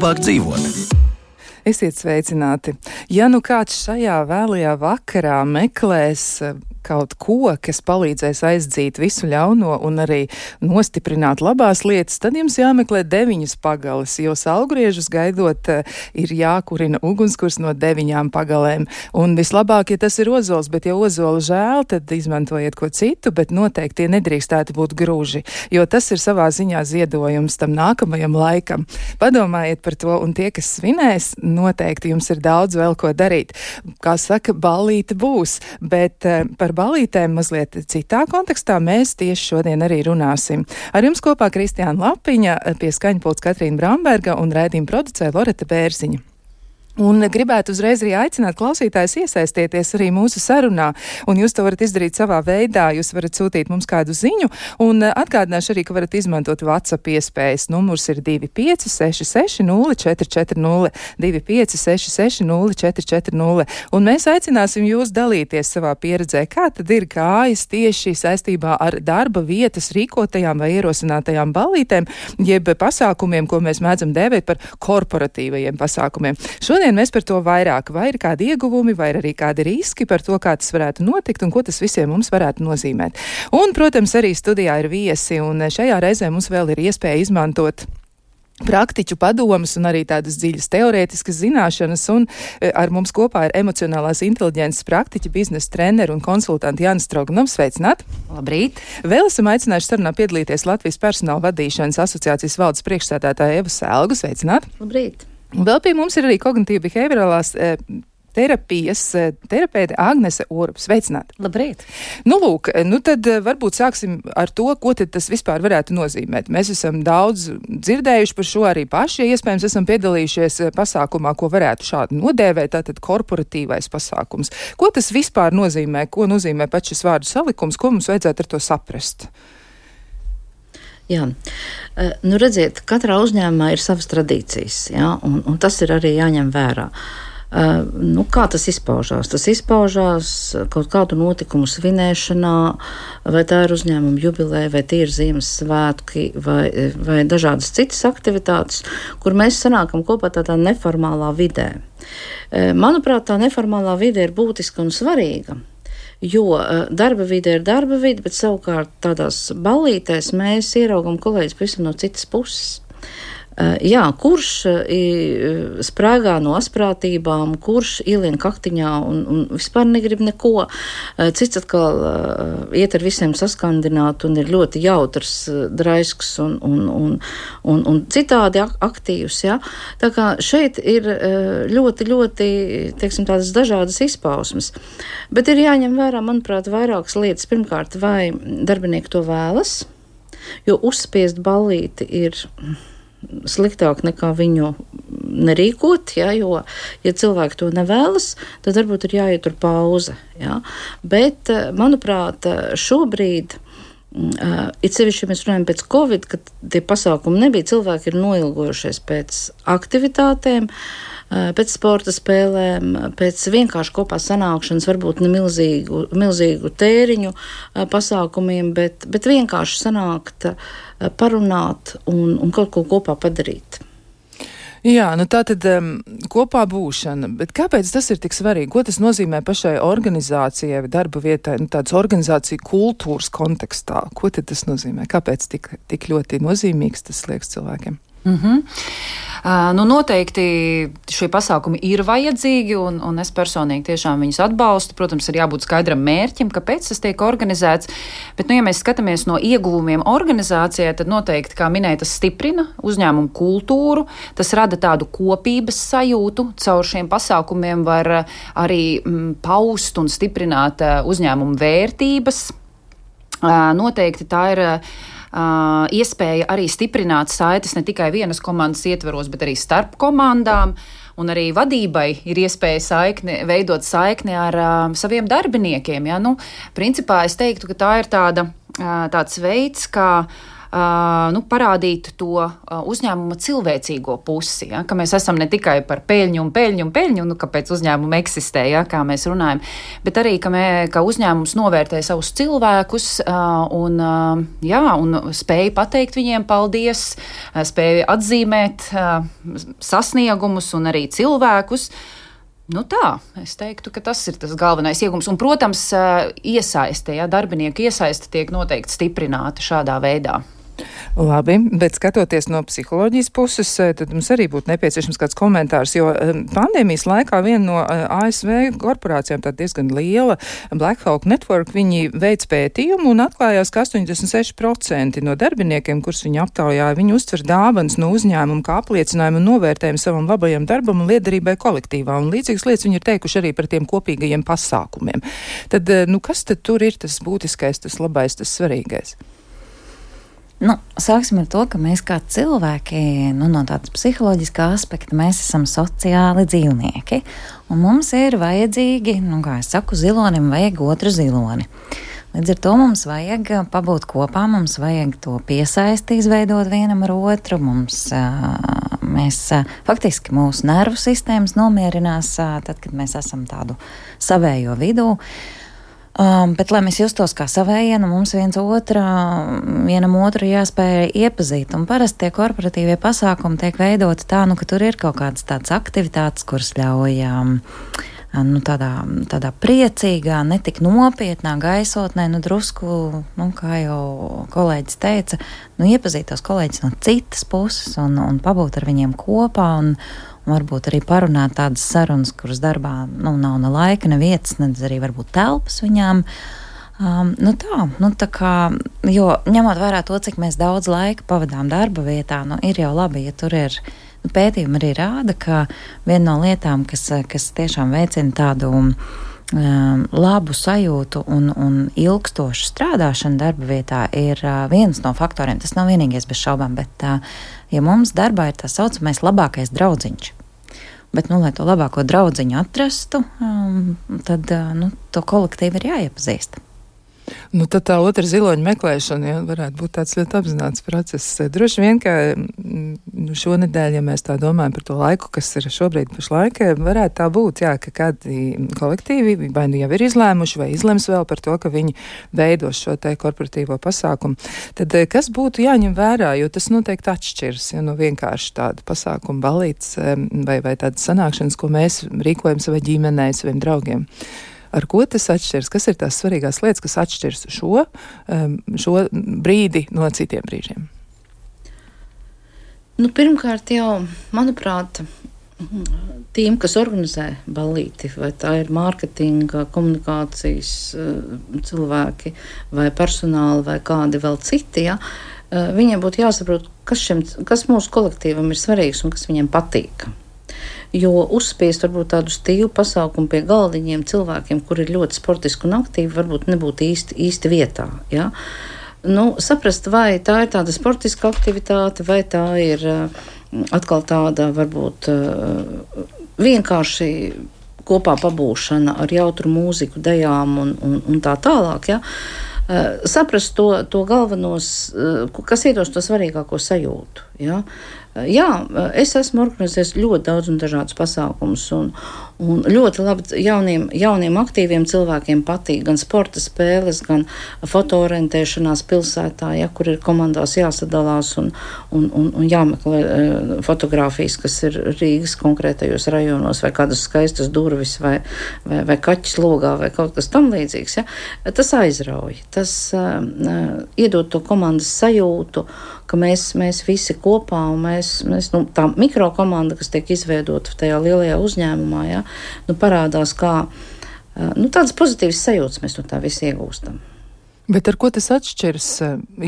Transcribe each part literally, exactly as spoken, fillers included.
labāk dzīvot. Esiet sveicināti. Ja nu kāds šajā vēlajā vakarā meklēs kaut ko, kas palīdzēs aizdzīt visu ļauno un arī nostiprināt labās lietas, tad jums jāmeklē deviņas pagalas, jo saulgriežus gaidot ir jākurina ugunskurs no deviņām pagalēm. Un vislabāk, ja tas ir ozols, bet ja ozolu žēl, tad izmantojiet ko citu, bet noteikti tie nedrīkstētu būt grūži, jo tas ir savā ziņā ziedojums tam nākamajam laikam. Padomājiet par to, un tie, kas svinēs, noteikti jums ir daudz vēl ko darīt. Kā saka, ballīte būs, bet par balītēm mazliet citā kontekstā mēs tieši šodien arī runāsim. Ar jums kopā Kristiāna Lapiņa, pie skaņpults Katrīna Bramberga un raidījuma producē Loreta Bērziņa. Un gribētu uzreiz arī aicināt klausītājus iesaistieties arī mūsu sarunā, un jūs to varat izdarīt savā veidā, jūs varat sūtīt mums kādu ziņu, un atgādināšu arī, ka varat izmantot WhatsApp iespējas. Numurs ir divi pieci seši seši nulle četri četri nulle, divi pieci seši seši nulle četri četri nulle, un mēs aicināsim jūs dalīties savā pieredzē, kā tad ir gājis tieši saistībā ar darba vietas rīkotajām vai ierosinātajām ballītēm, jeb pasākumiem, ko mēs mēdzam dēvēt par korporatīvajiem pasākumiem. Šodien mēs par to vairāk, vai ir kādi ieguvumi, vai ir arī kādi riski par to, kā tas varētu notikt un ko tas visiem mums varētu nozīmēt. Un, protams, arī studijā ir viesi, un šajā reizē mums vēl ir iespēja izmantot praktiķu padomas un arī tādas dziļas teorētiskas zināšanas, un ar mums kopā ir emocionālās inteliģences praktiķi, biznesa treneri un konsultanti Jānis Stroganovs. Sveicināt! Labrīt! Vēl esam aicinājuši sarunā piedalīties Latvijas personāla vadīšanas asociācijas valdes priekšsēdētāja Eva Selgu. Sveicināt! Labrīt! Vēl pie mums ir arī kognitīva behaviorālās e, terapijas e, terapeite Agnese Orup. Sveicināt! Labrīt! Nu, lūk, nu tad varbūt sāksim ar to, ko tad tas vispār varētu nozīmēt. Mēs esam daudz dzirdējuši par šo arī paši, ja iespējams esam piedalījušies pasākumā, ko varētu šādi nodēvēt, tātad korporatīvais pasākums. Ko tas vispār nozīmē? Ko nozīmē pats šis vārdu salikums? Ko mums vajadzētu ar to saprast? Jā, nu redziet, katrā uzņēmumā ir savas tradīcijas, jā, un, un tas ir arī jāņem vērā. Uh, nu, kā tas izpaužās? Tas izpaužās kaut kādu notikumu svinēšanā, vai tā ir uzņēmuma jubileja, vai tie ir Ziemassvētki, vai, vai dažādas citas aktivitātes, kur mēs sanākam kopā tādā neformālā vidē. Uh, manuprāt, tā neformālā vide ir būtiska un svarīga. Jo darba vide ir darba vide, bet savukārt tādās ballītēs mēs ieraugam kolēģis pavisam no citas puses. Jā, kurš sprāgā no asprātībām, kurš ielien kaktiņā un, un vispār negrib neko. Cits atkal iet ar visiem saskandināt un ir ļoti jautrs, draisks un, un, un, un, un citādi aktīvs. Ja? Tā kā šeit ir ļoti, ļoti, teiksim, tādas dažādas izpausmes. Bet ir jāņem vērā, manuprāt, vairākas lietas. Pirmkārt, vai darbinieki to vēlas, jo uzspiest ballīti ir sliktāk nekā viņu nerīkot, ja, jo, ja cilvēki to nevēlas, tad varbūt ir jāietur pauze. Ja. Bet, manuprāt, šobrīd, it sevišķi, ja mēs runājam pēc Covid, kad tie pasākumi nebija, cilvēki ir noilgojušies pēc aktivitātēm, pēc sporta spēlēm, pēc vienkārši kopā sanākšanas, varbūt ne milzīgu, milzīgu tēriņu pasākumiem, bet, bet vienkārši sanākt, parunāt un, un kaut ko kopā padarīt. Jā, nu tā tad um, kopā būšana, bet kāpēc tas ir tik svarīgi? Ko tas nozīmē pašai organizācijai vai darba vietai, nu tādas organizāciju kultūras kontekstā? Ko tad tas nozīmē? Kāpēc tik, tik ļoti nozīmīgs tas liekas cilvēkiem? Mm-hmm. Uh, nu noteikti šie pasākumi ir vajadzīgi, un, un es personīgi tiešām viņus atbalstu. Protams, ir jābūt skaidram mērķim, kāpēc tas tiek organizēts, bet, nu, ja mēs skatāmies no ieguvumiem organizācijai, tad noteikti, kā minēja, tas stiprina uzņēmumu kultūru, tas rada tādu kopības sajūtu, caur šiem pasākumiem var arī mm, paust un stiprināt uh, uzņēmumu vērtības. Uh, noteikti tā ir uh, Uh, iespēja arī stiprināt saites ne tikai vienas komandas ietveros, bet arī starp komandām. Un arī vadībai ir iespēja saikni, veidot saikni ar uh, saviem darbiniekiem. Ja? Nu, principā es teiktu, ka tā ir tāda, uh, tāds veids, kā uh, uh, nu, parādīt to uh, uzņēmuma cilvēcīgo pusi, ja, ka mēs esam ne tikai par peļņu un peļņu un peļņu, nu, kāpēc uzņēmumi eksistē, ja, kā mēs runājam, bet arī, ka, mē, ka uzņēmums novērtē savus cilvēkus uh, un, uh, jā, un spēja pateikt viņiem paldies, uh, spēja atzīmēt uh, sasniegumus un arī cilvēkus. Nu tā, es teiktu, ka tas ir tas galvenais iegums. Un, protams, iesaiste, ja, darbinieku iesaiste tiek noteikti stiprināta šādā veidā. Labi, bet skatoties no psiholoģijas puses, tad mums arī būtu nepieciešams kāds komentārs, jo pandēmijas laikā viena no A S V korporācijām, tā diezgan liela, Black Hawk Network, viņi veic pētījumu un atklājās, ka astoņdesmit seši procenti no darbiniekiem, kurus viņi aptaujāja, viņi uztver dāvanas no uzņēmuma kā apliecinājumu un novērtējumu savam labajam darbam un liederībai kolektīvā. Un līdzīgas lietas viņi ir teikuši arī par tiem kopīgajiem pasākumiem. Tad, nu, kas tad tur ir tas būtiskais, tas labais, tas svarīgais? Nu, sāksim ar to, ka mēs kā cilvēki, nu, no tādas psiholoģiskā aspekta, mēs esam sociāli dzīvnieki, un mums ir vajadzīgi, nu, kā es saku, zilonim vajag otru ziloni. Līdz ar to mums vajag pabūt kopā, mums vajag to piesaisti izveidot vienam ar otru, mums, mēs, faktiski mūsu nervu sistēmas nomierinās, tad, kad mēs esam tādu savējo vidū. Um, bet, lai mēs justos kā savējie, nu, mums viens otra, vienam otru jāspēj iepazīt. Un parasti tie korporatīvie pasākumi tiek veidoti tā, nu, ka tur ir kaut kādas tādas aktivitātes, kuras ļauj um, nu, tādā, tādā priecīgā, netik nopietnā gaisotnē, nu, drusku, nu, kā jau kolēģis teica, nu, iepazīt tos kolēģis no citas puses un, un pabūt ar viņiem kopā un un varbūt arī parunāt tādas sarunas, kuras darbā, nu, nav ne laika, ne vietas, ne arī varbūt telpas viņām. Um, nu tā, nu tā kā, jo ņemot vērā to, cik mēs daudz laika pavadām darba vietā, nu ir jau labi, ja tur ir, nu, pētījumi arī rāda, ka viena no lietām, kas, kas tiešām veicina tādu um, labu sajūtu un, un ilgstošu strādāšanu darba vietā, ir uh, viens no faktoriem. Tas nav vienīgais bez šaubām, bet uh, ja mums darbā ir tā saucamais labākais draudziņš, bet, nu, lai to labāko draudziņu atrastu, um, tad, uh, nu, to kolektīvi ir jāiepazīst. Nu, tad tā otra ziloņa meklēšana, ja, varētu būt tāds ļoti apzināts process. Droši vien, ka nu, šonedēļ, ja mēs tā domājam par to laiku, kas ir šobrīd pašlaik, varētu tā būt, jā, ka kādi kolektīvi vai nu jau ir izlēmuši vai izlems vēl par to, ka viņi veidos šo te korporatīvo pasākumu. Tad kas būtu jāņem vērā, jo tas noteikti atšķirs, ja nu vienkārši tāda pasākuma balīts vai, vai tādas sanākšanas, ko mēs rīkojam savai ģimenei, saviem draugiem. Ar ko tas atšķirs? Kas ir tās svarīgās lietas, kas atšķirs šo, šo brīdi no citiem brīžiem? Nu, pirmkārt jau, manuprāt, tiem, kas organizē ballīti, vai tā ir mārketinga, komunikācijas cilvēki, vai personāli, vai kādi vēl citi, ja, viņiem būtu jāsaprot, kas, šim, kas mūsu kolektīvam ir svarīgs un kas viņiem patīk. Jo uzspiest varbūt tādu stīvu pasākumu pie galdiņiem cilvēkiem, kuri ir ļoti sportiski un aktīvi, varbūt nebūtu īsti, īsti vietā. Ja? Nu, saprast, vai tā ir tāda sportiska aktivitāte, vai tā ir atkal tāda varbūt vienkārši kopā pabūšana ar jautru mūziku, dejām un, un, un tā tālāk. Ja? Saprast to, to galvenos, kas iedos to svarīgāko sajūtu. Ja? Jā, es esmu organizējis ļoti daudz un dažādus pasākumus, un, un ļoti labi jauniem, jauniem aktīviem cilvēkiem patīk gan sporta spēles, gan fotoorientēšanās pilsētā, ja, kur ir komandās jāsadalās un, un, un, un jāmeklē uh, fotogrāfijas, kas ir Rīgas konkrētajos rajonos, vai kādas skaistas durvis, vai, vai, vai kaķis logā, vai kaut kas tam līdzīgs. Ja. Tas aizrauj, tas uh, uh, iedod to komandas sajūtu, ka mēs, mēs visi kopā un mēs, mēs nu, tā mikrokomanda, kas tiek izveidota tajā lielajā uzņēmumā, ja, nu, parādās kā nu, tādas pozitīvas sajūtas mēs no tā visi iegūstam. Bet ar ko tas atšķirs?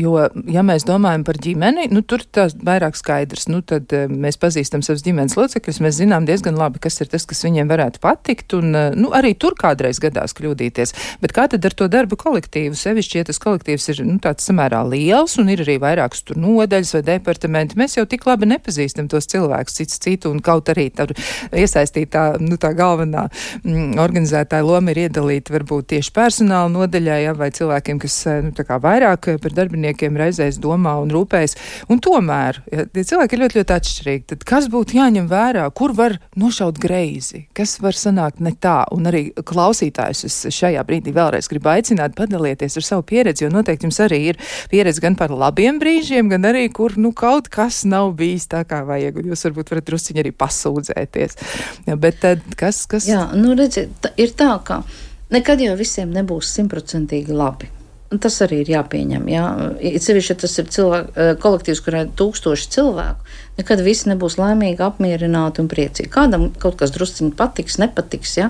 Jo, ja mēs domājam par ģimeni, nu, tur tas vairāk skaidrs. Nu, tad mēs pazīstam savus ģimenes locekļus, mēs zinām diezgan labi, kas ir tas, kas viņiem varētu patikt, un nu, arī tur kādreiz gadās kļūdīties. Bet kā tad ar to darba kolektīvu? Sevišķi, ja tas kolektīvs ir nu, tāds samērā liels, un ir arī vairākas tur nodaļas vai departamenti, mēs jau tik labi nepazīstam tos cilvēkus cits citu, un kaut arī tur iesaistītā, nu, tā galvenā mm, organizētāja loma ir iedalīta varbūt tieši personāla nodaļā, ja, vai cilvēkiem, kas kas nu, tā kā vairāk par darbiniekiem reizēs domā un rūpējas. Un tomēr, ja tie cilvēki ir ļoti, ļoti atšķirīgi, tad kas būtu jāņem vērā, kur var nošaut greizi, kas var sanākt ne tā, un arī klausītājus es šajā brīdī vēlreiz gribu aicināt padalieties ar savu pieredzi, jo noteikti jums arī ir pieredze gan par labiem brīžiem, gan arī, kur nu kaut kas nav bijis tā kā vajag, un jūs varbūt varat drusciņi arī pasūdzēties. Ja, bet tad kas, kas... Jā, nu redziet, tā, ir tā, ka nekad jau visiem nebūs simtprocentīgi labi. Un tas arī ir jāpieņem. Jā. Cevišķi tas ir cilvēku, kolektīvs, kurā ir tūkstoši cilvēku. Nekad visi nebūs laimīgi, apmierināti un priecīgi. Kādam kaut kas drusciņi patiks, nepatiks, jā.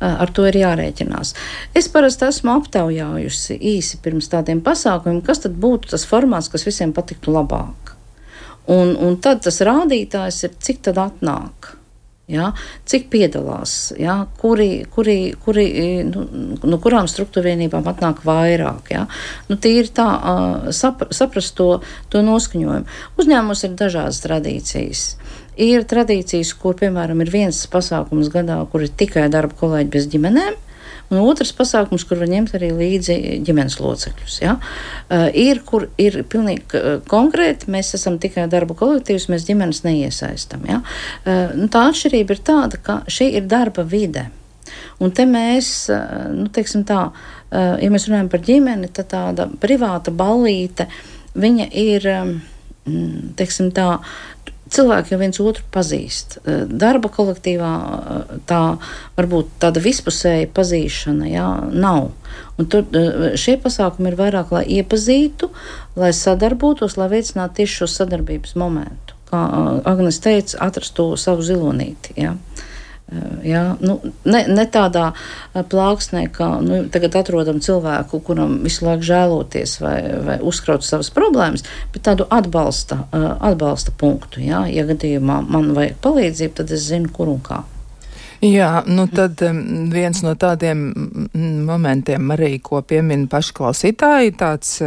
Ar to ir jārēķinās. Es parasti esmu aptaujājusi īsi pirms tādiem pasākumiem, kas tad būtu tas formāts, kas visiem patiktu labāk. Un, un tad tas rādītājs ir, cik tad atnāk. Ja, cik piedalās, ja, kuri, kuri, kuri, nu, no kurām struktūrvienībām atnāk vairāk. Ja. Nu, tīri tā sapra, saprast to, to noskaņojumu. Uzņēmumos ir dažādas tradīcijas. Ir tradīcijas, kur, piemēram, ir viens pasākums gadā, kur ir tikai darba kolēģi bez ģimenēm, un otrs pasākums, kur var ņemt arī līdzi ģimenes locekļus. Ja? Uh, ir, kur ir pilnīgi konkrēti, mēs esam tikai darba kolektīvs, mēs ģimenes neiesaistam. Ja? Uh, nu, tā atšķirība ir tāda, ka šī ir darba vide. Un te mēs, uh, nu, teiksim tā, uh, ja mēs runājam par ģimeni, tad tāda privāta ballīte, viņa ir, um, teiksim tā, cilvēki jau viens otru pazīst. Darba kolektīvā tā varbūt tāda vispusēja pazīšana, jā, nav. Un tur šie pasākumi ir vairāk, lai iepazītu, lai sadarbotos, lai veicinātu tieši šo sadarbības momentu. Kā Agnes teica, atrast to savu zilonīti, jā. Jā, nu, ne, ne tādā plāksnē, ka nu, tagad atrodam cilvēku, kuram visu laiku žēloties vai, vai uzkraut savas problēmas, bet tādu atbalsta, atbalsta punktu. Jā. Ja gadījumā man vajag palīdzību, tad es zinu, kur un kā. Jā, nu tad viens no tādiem momentiem arī, ko piemin paši klausītāji, tāds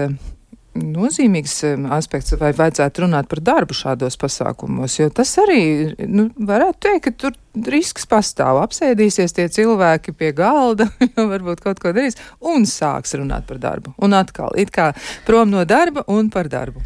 nozīmīgs aspekts, vai vajadzētu runāt par darbu šādos pasākumos, jo tas arī, nu, varētu teikt, ka tur risks pastāv. Apsēdīsies tie cilvēki pie galda, varbūt kaut ko darīs, un sāks runāt par darbu. Un atkal, it kā prom no darba un par darbu.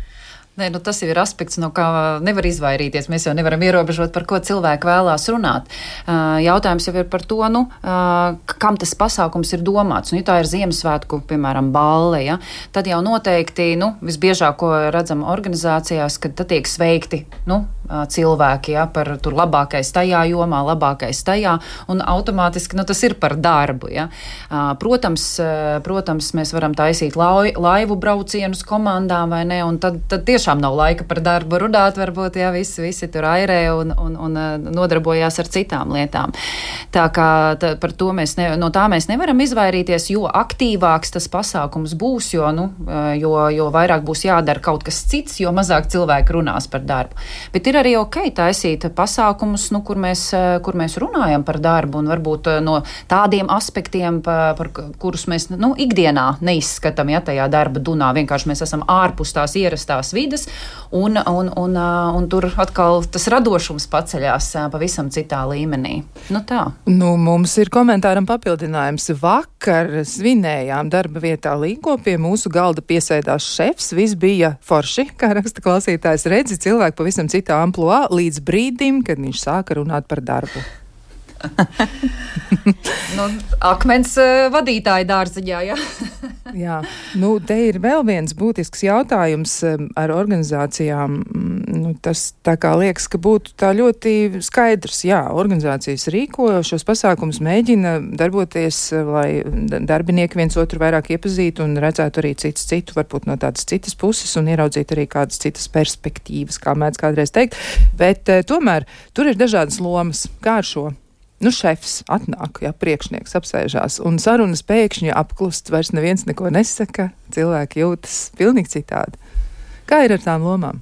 Nē, nu tas jau ir aspekts, no kā nevar izvairīties. Mēs jau nevaram ierobežot, par ko cilvēki vēlās runāt. Jautājums jau ir par to, nu, kam tas pasākums ir domāts. Nu, ja tā ir Ziemassvētku, piemēram, balle, ja, tad jau noteikti, nu, visbiežāk, ko redzam organizācijās, kad tad tiek sveikti, nu, cilvēki, ja, par tur labākais tajā jomā, labākais tajā, un automātiski, nu, tas ir par darbu, ja. Protams, protams, mēs varam taisīt lai, laivu braucienus komandām, vai ne, un tad, tad tiešām nav laika par darbu runāt, varbūt, ja, visi, visi tur airē un, un, un nodarbojās ar citām lietām. Tā kā tā, par to mēs, ne, no tā mēs nevaram izvairīties, jo aktīvāks tas pasākums būs, jo, nu, jo, jo vairāk būs jādara kaut kas cits, jo mazāk cilvēki runās par darbu. Bet ir arī ok taisīt pasākumus, nu, kur, mēs, kur mēs runājam par darbu un varbūt no tādiem aspektiem, par, par kurus mēs, nu, ikdienā neizskatām, ja, tajā darba dunā. Vienkārši mēs esam ārpus tās ierastās vides un, un, un, un tur atkal tas radošums paceļās pavisam citā līmenī. Nu tā. Nu, mums ir komentāram papildinājums. Vakar svinējām darba vietā Līgo, pie mūsu galda piesēdās šefs, viss bija forši, kā raksta klausītājs, redzi cilvēku pavisam citā amploā līdz brīdim, kad viņš sāka runāt par darbu. nu, akmens vadītāja dārziņā, jā. Jā, nu, te ir vēl viens būtisks jautājums ar organizācijām. Nu, tas tā kā liekas, ka būtu tā ļoti skaidrs. Jā, organizācijas rīko šos pasākumus, mēģina darboties, lai darbinieki viens otru vairāk iepazītu un redzētu arī citus citu, varbūt no tādas citas puses un ieraudzīt arī kādas citas perspektīvas, kā mēdz kādreiz teikt. Bet tomēr tur ir dažādas lomas. Kā ar šo? Nu, šefs atnāk, jā, priekšnieks apsēžās, un sarunas pēkšņi apklust, vairs neviens neko nesaka, cilvēki jūtas pilnīgi citādi. Kā ir ar tām lomām?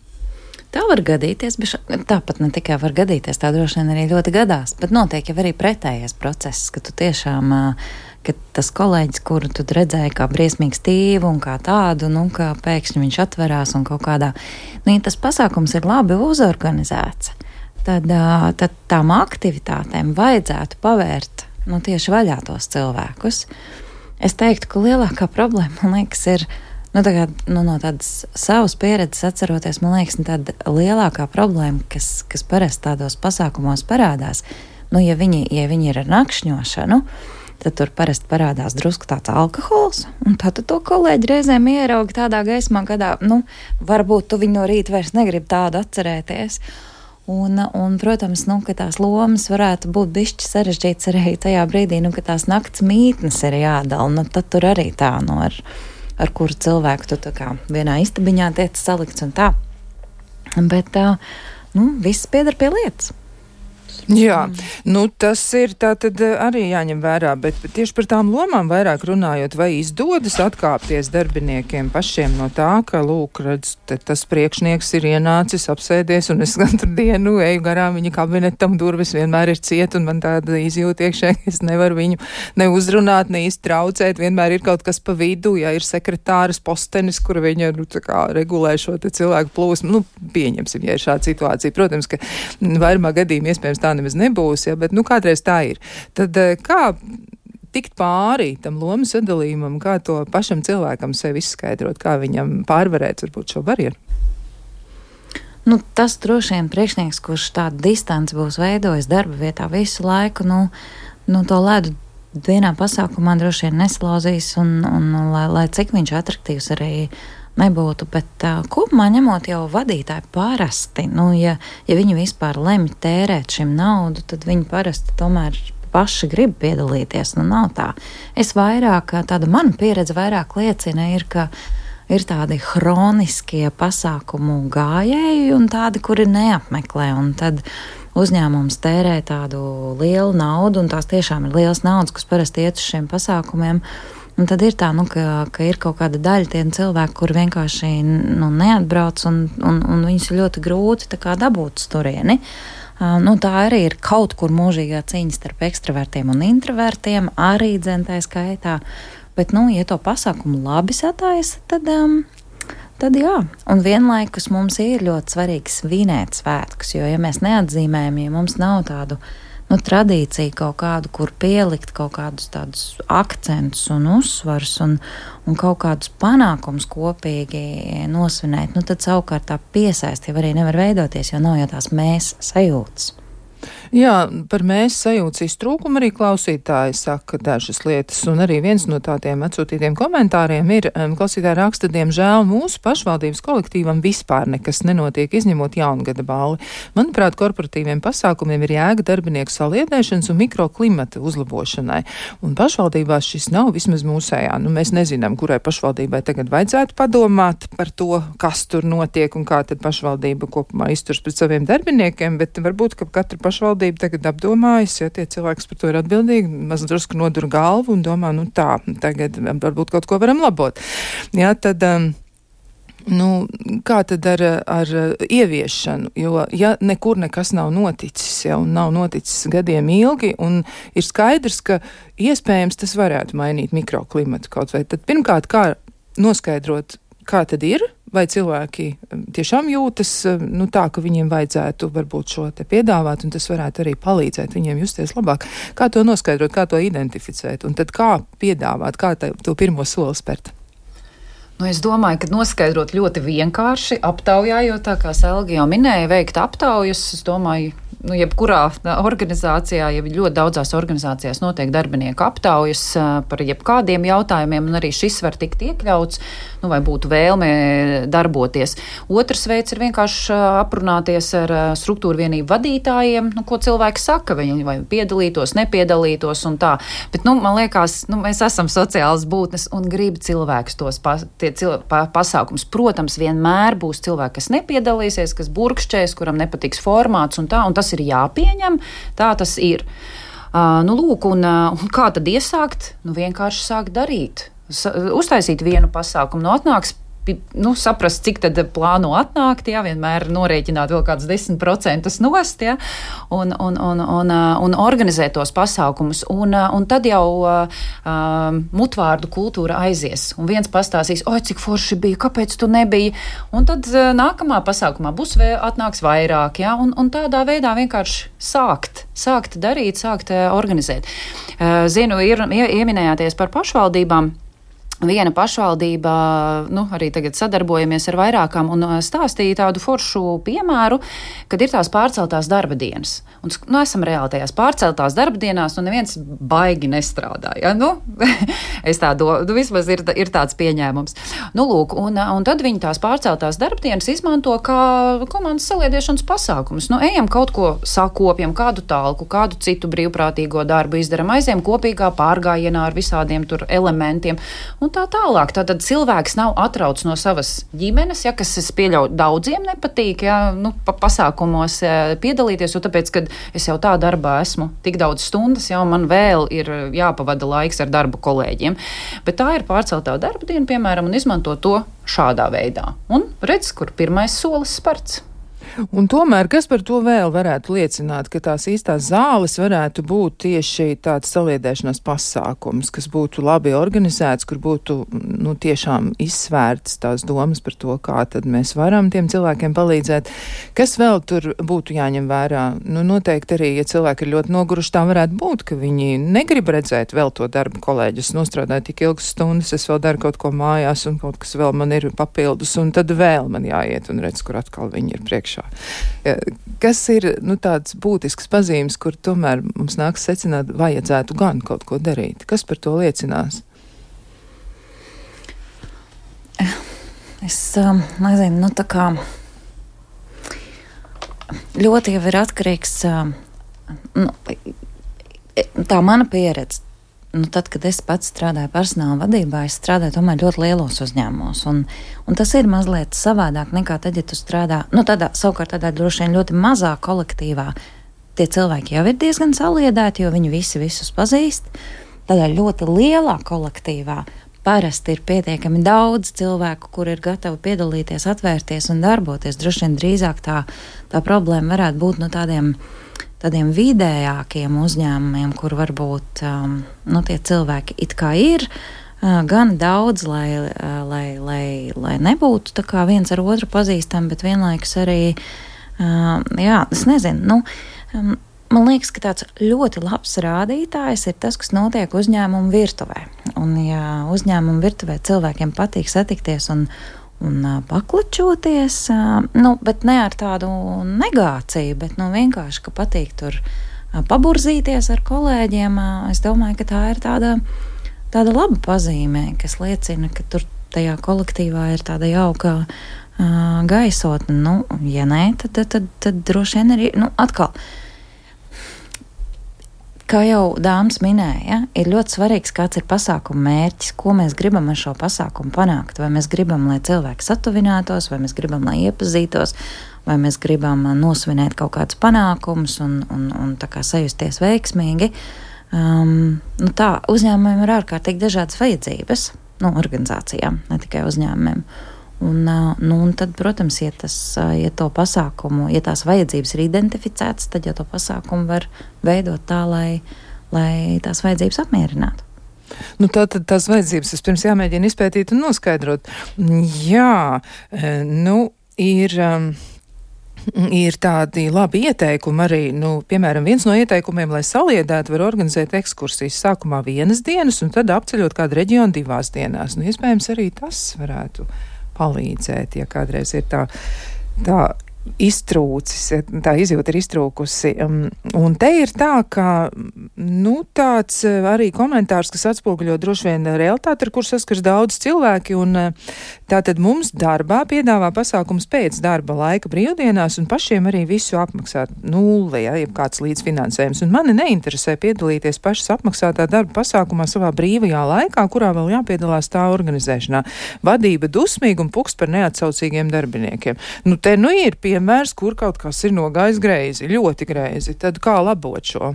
Tā var gadīties, bet tāpat ne tikai var gadīties, tā droši vien arī ļoti gadās, bet notiek jau arī pretējais process, ka tu tiešām, ka tas kolēģis, kuru tu redzēji kā briesmīgu stīvu un kā tādu, nu, ka pēkšņi viņš atverās un kaut kādā, nu, ja tas pasākums ir labi uzorganizēts, Tad, tad tām aktivitātēm vajadzētu pavērt nu, tieši vaļā tos cilvēkus. Es teiktu, ka lielākā problēma, man liekas, ir, nu, tā kā, nu, no tādas savas pieredzes atceroties, man liekas, tāda lielākā problēma, kas, kas parasti tādos pasākumos parādās, nu, ja viņi, ja viņi ir ar nakšņošanu, tad tur parasti parādās drusku tāds alkohols, un tad to kolēģi reizēm ierauga tādā gaismā, kādā, nu, varbūt tu viņu no rīta vairs negribi tādu atcerēties. Un, un protams, nu, ka tās lomas varētu būt bišķi sarežģītas arī tajā brīdī, nu, ka tās nakts mītnes ir jādala, nu, tad tur arī tā, nu, ar, ar kuru cilvēku tu tā kā vienā istabiņā tiec salikts un tā. Bet, tā, nu, viss piedar pie lietas. Jā, nu tas ir tā tad arī jāņem vērā, bet tieši par tām lomām vairāk runājot, vai izdodas atkāpties darbiniekiem pašiem no tā, ka, lūk, redz, tas priekšnieks ir ienācis, apsēdies, un es katru dienu eju garām viņa kabinetam, durvis vienmēr ir ciet, un man tāda izjūta iekšē, ka es nevaru viņu ne uzrunāt, ne iztraucēt, vienmēr ir kaut kas pa vidu, ja ir sekretāras postenis, kur viņa, nu, tā kā regulē šo te cilvēku plūsmu, nu, pieņemsim, ja ir šāda situācija. Protams, ka vairumā gadījumā iespējams tā nemaz nebūs, ja, bet nu kādreiz tā ir. Tad kā tikt pāri tam lomu sadalījumam, kā to pašam cilvēkam sevi izskaidrot, kā viņam pārvarēt varbūt šo barjeru? Nu, tas droši vien priekšnieks, kurš tādu distanci būs veidojis darba vietā visu laiku, nu, nu to ledu vienā pasākumā droši vien neslauzīs, un, un lai, lai cik viņš atraktīvs arī nebūtu, bet uh, kopumā ņemot jau vadītāji parasti, nu, ja, ja viņi vispār lemj tērēt šim naudu, tad viņi parasti tomēr paši grib piedalīties, nu nav tā. Es vairāk, tāda mana pieredze vairāk liecina ir, ka ir tādi hroniskie pasākumu gājēji un tādi, kuri neapmeklē, un tad uzņēmums tērē tādu lielu naudu, un tās tiešām ir liels naudas, kas parasti iet uz šiem pasākumiem. Un tad ir tā, nu, ka, ka ir kaut kāda daļa tie cilvēki, kur vienkārši nu, neatbrauc, un, un, un viņus ir ļoti grūti tā kā dabūt uz turieni. Uh, nu, tā arī ir kaut kur mūžīgā cīņa starp ekstravertiem un introvertiem, arī dzentā skaitā. Bet, nu, ja to pasākumu labi sataisa, tad, um, tad jā. Un vienlaikus mums ir ļoti svarīgi svinēt svētkus, jo, ja mēs neatzīmējam, ja mums nav tādu nu, tradīcija kaut kādu, kur pielikt kaut kādus tādus akcentus un uzsvarus un, un kaut kādus panākumus kopīgi nosvinēt, nu tad savukārt tā piesaisti jau arī nevar veidoties, jo nav jau tās mēs sajūtas. Jā, par mēs sajūtas iztrūkumu arī klausītāji saka dažas lietas, un arī viens no tādiem atsūtītiem komentāriem ir, um, klausītāji raksta, diemžēl mūsu pašvaldības kolektīvam vispār nekas nenotiek, izņemot jaungada balli. Manuprāt, korporatīviem pasākumiem ir jēga darbinieku saliedēšanas un mikroklimata uzlabošanai, un pašvaldībās šis nav vismaz mūsējā. Nu, mēs nezinām, kurai pašvaldībai tagad vajadzētu padomāt par to, kas tur notiek un kā tad pašvaldība kopumā izturs pret saviem darbiniekiem, bet varbūt, ka katra pašvaldība tagad apdomājas, ja tie cilvēki par to ir atbildīgi, maz drusku nodur galvu un domā, nu tā, tagad varbūt kaut ko varam labot. Jā, tad, um, nu, kā tad ar, ar ieviešanu, jo, ja nekur nekas nav noticis, ja, un nav noticis gadiem ilgi, un ir skaidrs, ka iespējams tas varētu mainīt mikroklimatu kaut vai, tad pirmkārt, kā noskaidrot, kā tad ir, vai cilvēki tiešām jūtas nu, tā, ka viņiem vajadzētu varbūt šo te piedāvāt, un tas varētu arī palīdzēt viņiem justies labāk. Kā to noskaidrot, kā to identificēt, un tad kā piedāvāt, kā tā, to pirmo soli spērt? Nu, es domāju, ka noskaidrot ļoti vienkārši, aptaujājot, tā kā Selga jau minēja, veikt aptaujas, es domāju, nu, jebkurā organizācijā, ja ļoti daudzās organizācijās notiek darbinieku aptaujas par jebkādiem jautājumiem, un arī šis var tikt iekļauts, nu, vai būtu vēlme darboties. Otrs veids ir vienkārši aprunāties ar struktūru vienību vadītājiem, nu, ko cilvēki saka, viņi vai piedalītos, nepiedalītos un tā. Bet, nu, man liekas, nu, mēs esam sociālas būtnes un grib cilvēkus tos pa, tie cil, pa, pasākums. Protams, vienmēr būs cilvēki, kas nepiedalīsies, kas burkšķēs, kuram nepatiks formāts un tā, un tas ir jāpieņem, tā tas ir. Uh, nu, lūk, un, uh, un kā tad iesākt? Nu, vienkārši sākt darīt. Sa- uztaisīt vienu pasākumu. Nu, atnāks nu, saprast, cik tad plāno atnākt, jā, vienmēr norēķināt vēl kādus desmit procentus nost, jā, un, un, un, un, un organizēt tos pasākumus. Un, un tad jau uh, mutvārdu kultūra aizies. Un viens pastāstīs, oi, cik forši bija, kāpēc tu nebija? Un tad uh, nākamā pasākumā būs vēl atnāks vairāk, jā, un, un tādā veidā vienkārši sākt, sākt darīt, sākt uh, organizēt. Uh, zinu, ir, ieminējāties par pašvaldībām. Viena pašvaldība, nu, arī tagad sadarbojamies ar vairākām un stāstīja tādu foršu piemēru, kad ir tās pārceltās darba dienas. Un, nu, esam reāli tajās pārceltās darba dienās, un neviens baigi nestrādā. Ja? Nu, es tā domāju, nu, vismaz ir, ir tāds pieņēmums. Nu, lūk, un, un tad viņi tās pārceltās darba dienas izmanto kā komandas saliedēšanas pasākumus. Nu, ejam kaut ko sakopjam, kādu talku, kādu citu brīvprātīgo darbu izdaram, aizējam kopīgā pārgājienā ar visādiem tur elementiem. Un tā tālāk. Tātad cilvēks nav atrauts no savas ģimenes, ja, kas es pieļauju daudziem nepatīk, ja, nu, pa pasākumos piedalīties, jo tāpēc, kad es jau tā darbā esmu tik daudz stundas, jau man vēl ir jāpavada laiks ar darbu kolēģiem. Bet tā ir pārceltā darba diena, piemēram, un izmanto to šādā veidā. Un redz, kur pirmais solis sparts. Un tomēr, kas par to vēl varētu liecināt, ka tās īstās zāles varētu būt tieši tāds saliedēšanās pasākums, kas būtu labi organizēts, kur būtu, nu, tiešām izsvērts tās domas par to, kā tad mēs varam tiem cilvēkiem palīdzēt. Kas vēl tur būtu jāņem vērā? Nu, noteikti arī, ja cilvēki ir ļoti noguruši, tā varētu būt, ka viņi negrib redzēt vēl to darbu kolēģus, nostrādāju tik ilgas stundas, es vēl daru kaut ko mājās un kaut kas vēl man ir papildus, un tad vēl man jāiet un redz, kur atkal viņi ir priekšā. Kas ir, nu, tāds būtisks pazīmes, kur tomēr mums nāks secināt, vajadzētu gan kaut ko darīt? Kas par to liecinās? Es um, nezinu, nu tā kā ļoti jau ir atkarīgs, um, nu, tā mana pieredze. Nu, tad, kad es pats strādāju personāla vadībā, es strādāju tomēr ļoti lielos uzņēmumos. Un, un tas ir mazliet savādāk nekā tad, ja tu strādā, nu, tādā, savukārt tādā droši vien ļoti mazā kolektīvā. Tie cilvēki jau ir diezgan saliedēti, jo viņi visi visus pazīst. Tādā ļoti lielā kolektīvā parasti ir pietiekami daudz cilvēku, kur ir gatavi piedalīties, atvērties un darboties. Droši vien drīzāk tā, tā problēma varētu būt no tādiem tādiem vidējākiem uzņēmumiem, kur varbūt um, nu, tie cilvēki it kā ir uh, gan daudz, lai, uh, lai, lai, lai nebūtu tā kā viens ar otru pazīstami, bet vienlaikus arī, uh, jā, es nezinu, nu, um, man liekas, ka tāds ļoti labs rādītājs ir tas, kas notiek uzņēmumu virtuvē. Un ja uzņēmumu virtuvē cilvēkiem patīk satikties un un uh, paklačoties, uh, nu, bet ne ar tādu negāciju, bet nu, vienkārši, ka patīk tur uh, paburzīties ar kolēģiem. Uh, es domāju, ka tā ir tāda, tāda laba pazīme, kas liecina, ka tur tajā kolektīvā ir tāda jauka uh, gaisotne. Nu, ja nē, tad, tad, tad, tad droši vien arī, nu, atkal, kā jau dāmas minēja, ir ļoti svarīgs, kāds ir pasākuma mērķis, ko mēs gribam ar šo pasākumu panākt. Vai mēs gribam, lai cilvēki satuvinātos, vai mēs gribam, lai iepazītos, vai mēs gribam nosvinēt kaut kādus panākumus un, un, un tā kā sajusties veiksmīgi. Um, nu tā, uzņēmumiem ir ārkārtīgi dažādas vajadzības, nu, organizācijām, ne tikai uzņēmumiem. Un, nu, un tad, protams, ja, tas, ja to pasākumu, ja tās vajadzības ir identificētas, tad jau to pasākumu var veidot tā, lai, lai tās vajadzības apmierinātu. Nu, tā tad tās vajadzības vispirms jāmēģina izpētīt un noskaidrot. Jā, nu, ir... Um, Ir tādi labi ieteikumi arī, nu, piemēram, viens no ieteikumiem, lai saliedētu, var organizēt ekskursijas sākumā vienas dienas un tad apceļot kādu reģionu divās dienās. Nu, iespējams, arī tas varētu palīdzēt, ja kādreiz ir tā, tā iztrūcis, tā izjūta ir iztrūkusi. Un te ir tā, ka, nu, tāds arī komentārs, kas atspoguļo droši vien realitāti, ar kur saskars daudz cilvēki, un tātad mums darbā piedāvā pasākums pēc darba laika brīvdienās, un pašiem arī visu apmaksāt nulli, ja, jeb kāds līdzfinansējums. Un mani neinteresē piedalīties pašas apmaksātā darba pasākumā savā brīvajā laikā, kurā vēl jāpiedalās tā organizēšanā. Vadība dusmīga un pukst par neatsaucīgiem darbiniekiem. Nu, te nu ir piemērs, kur kaut kas ir nogājis greizi, ļoti greizi. Tad kā labot šo?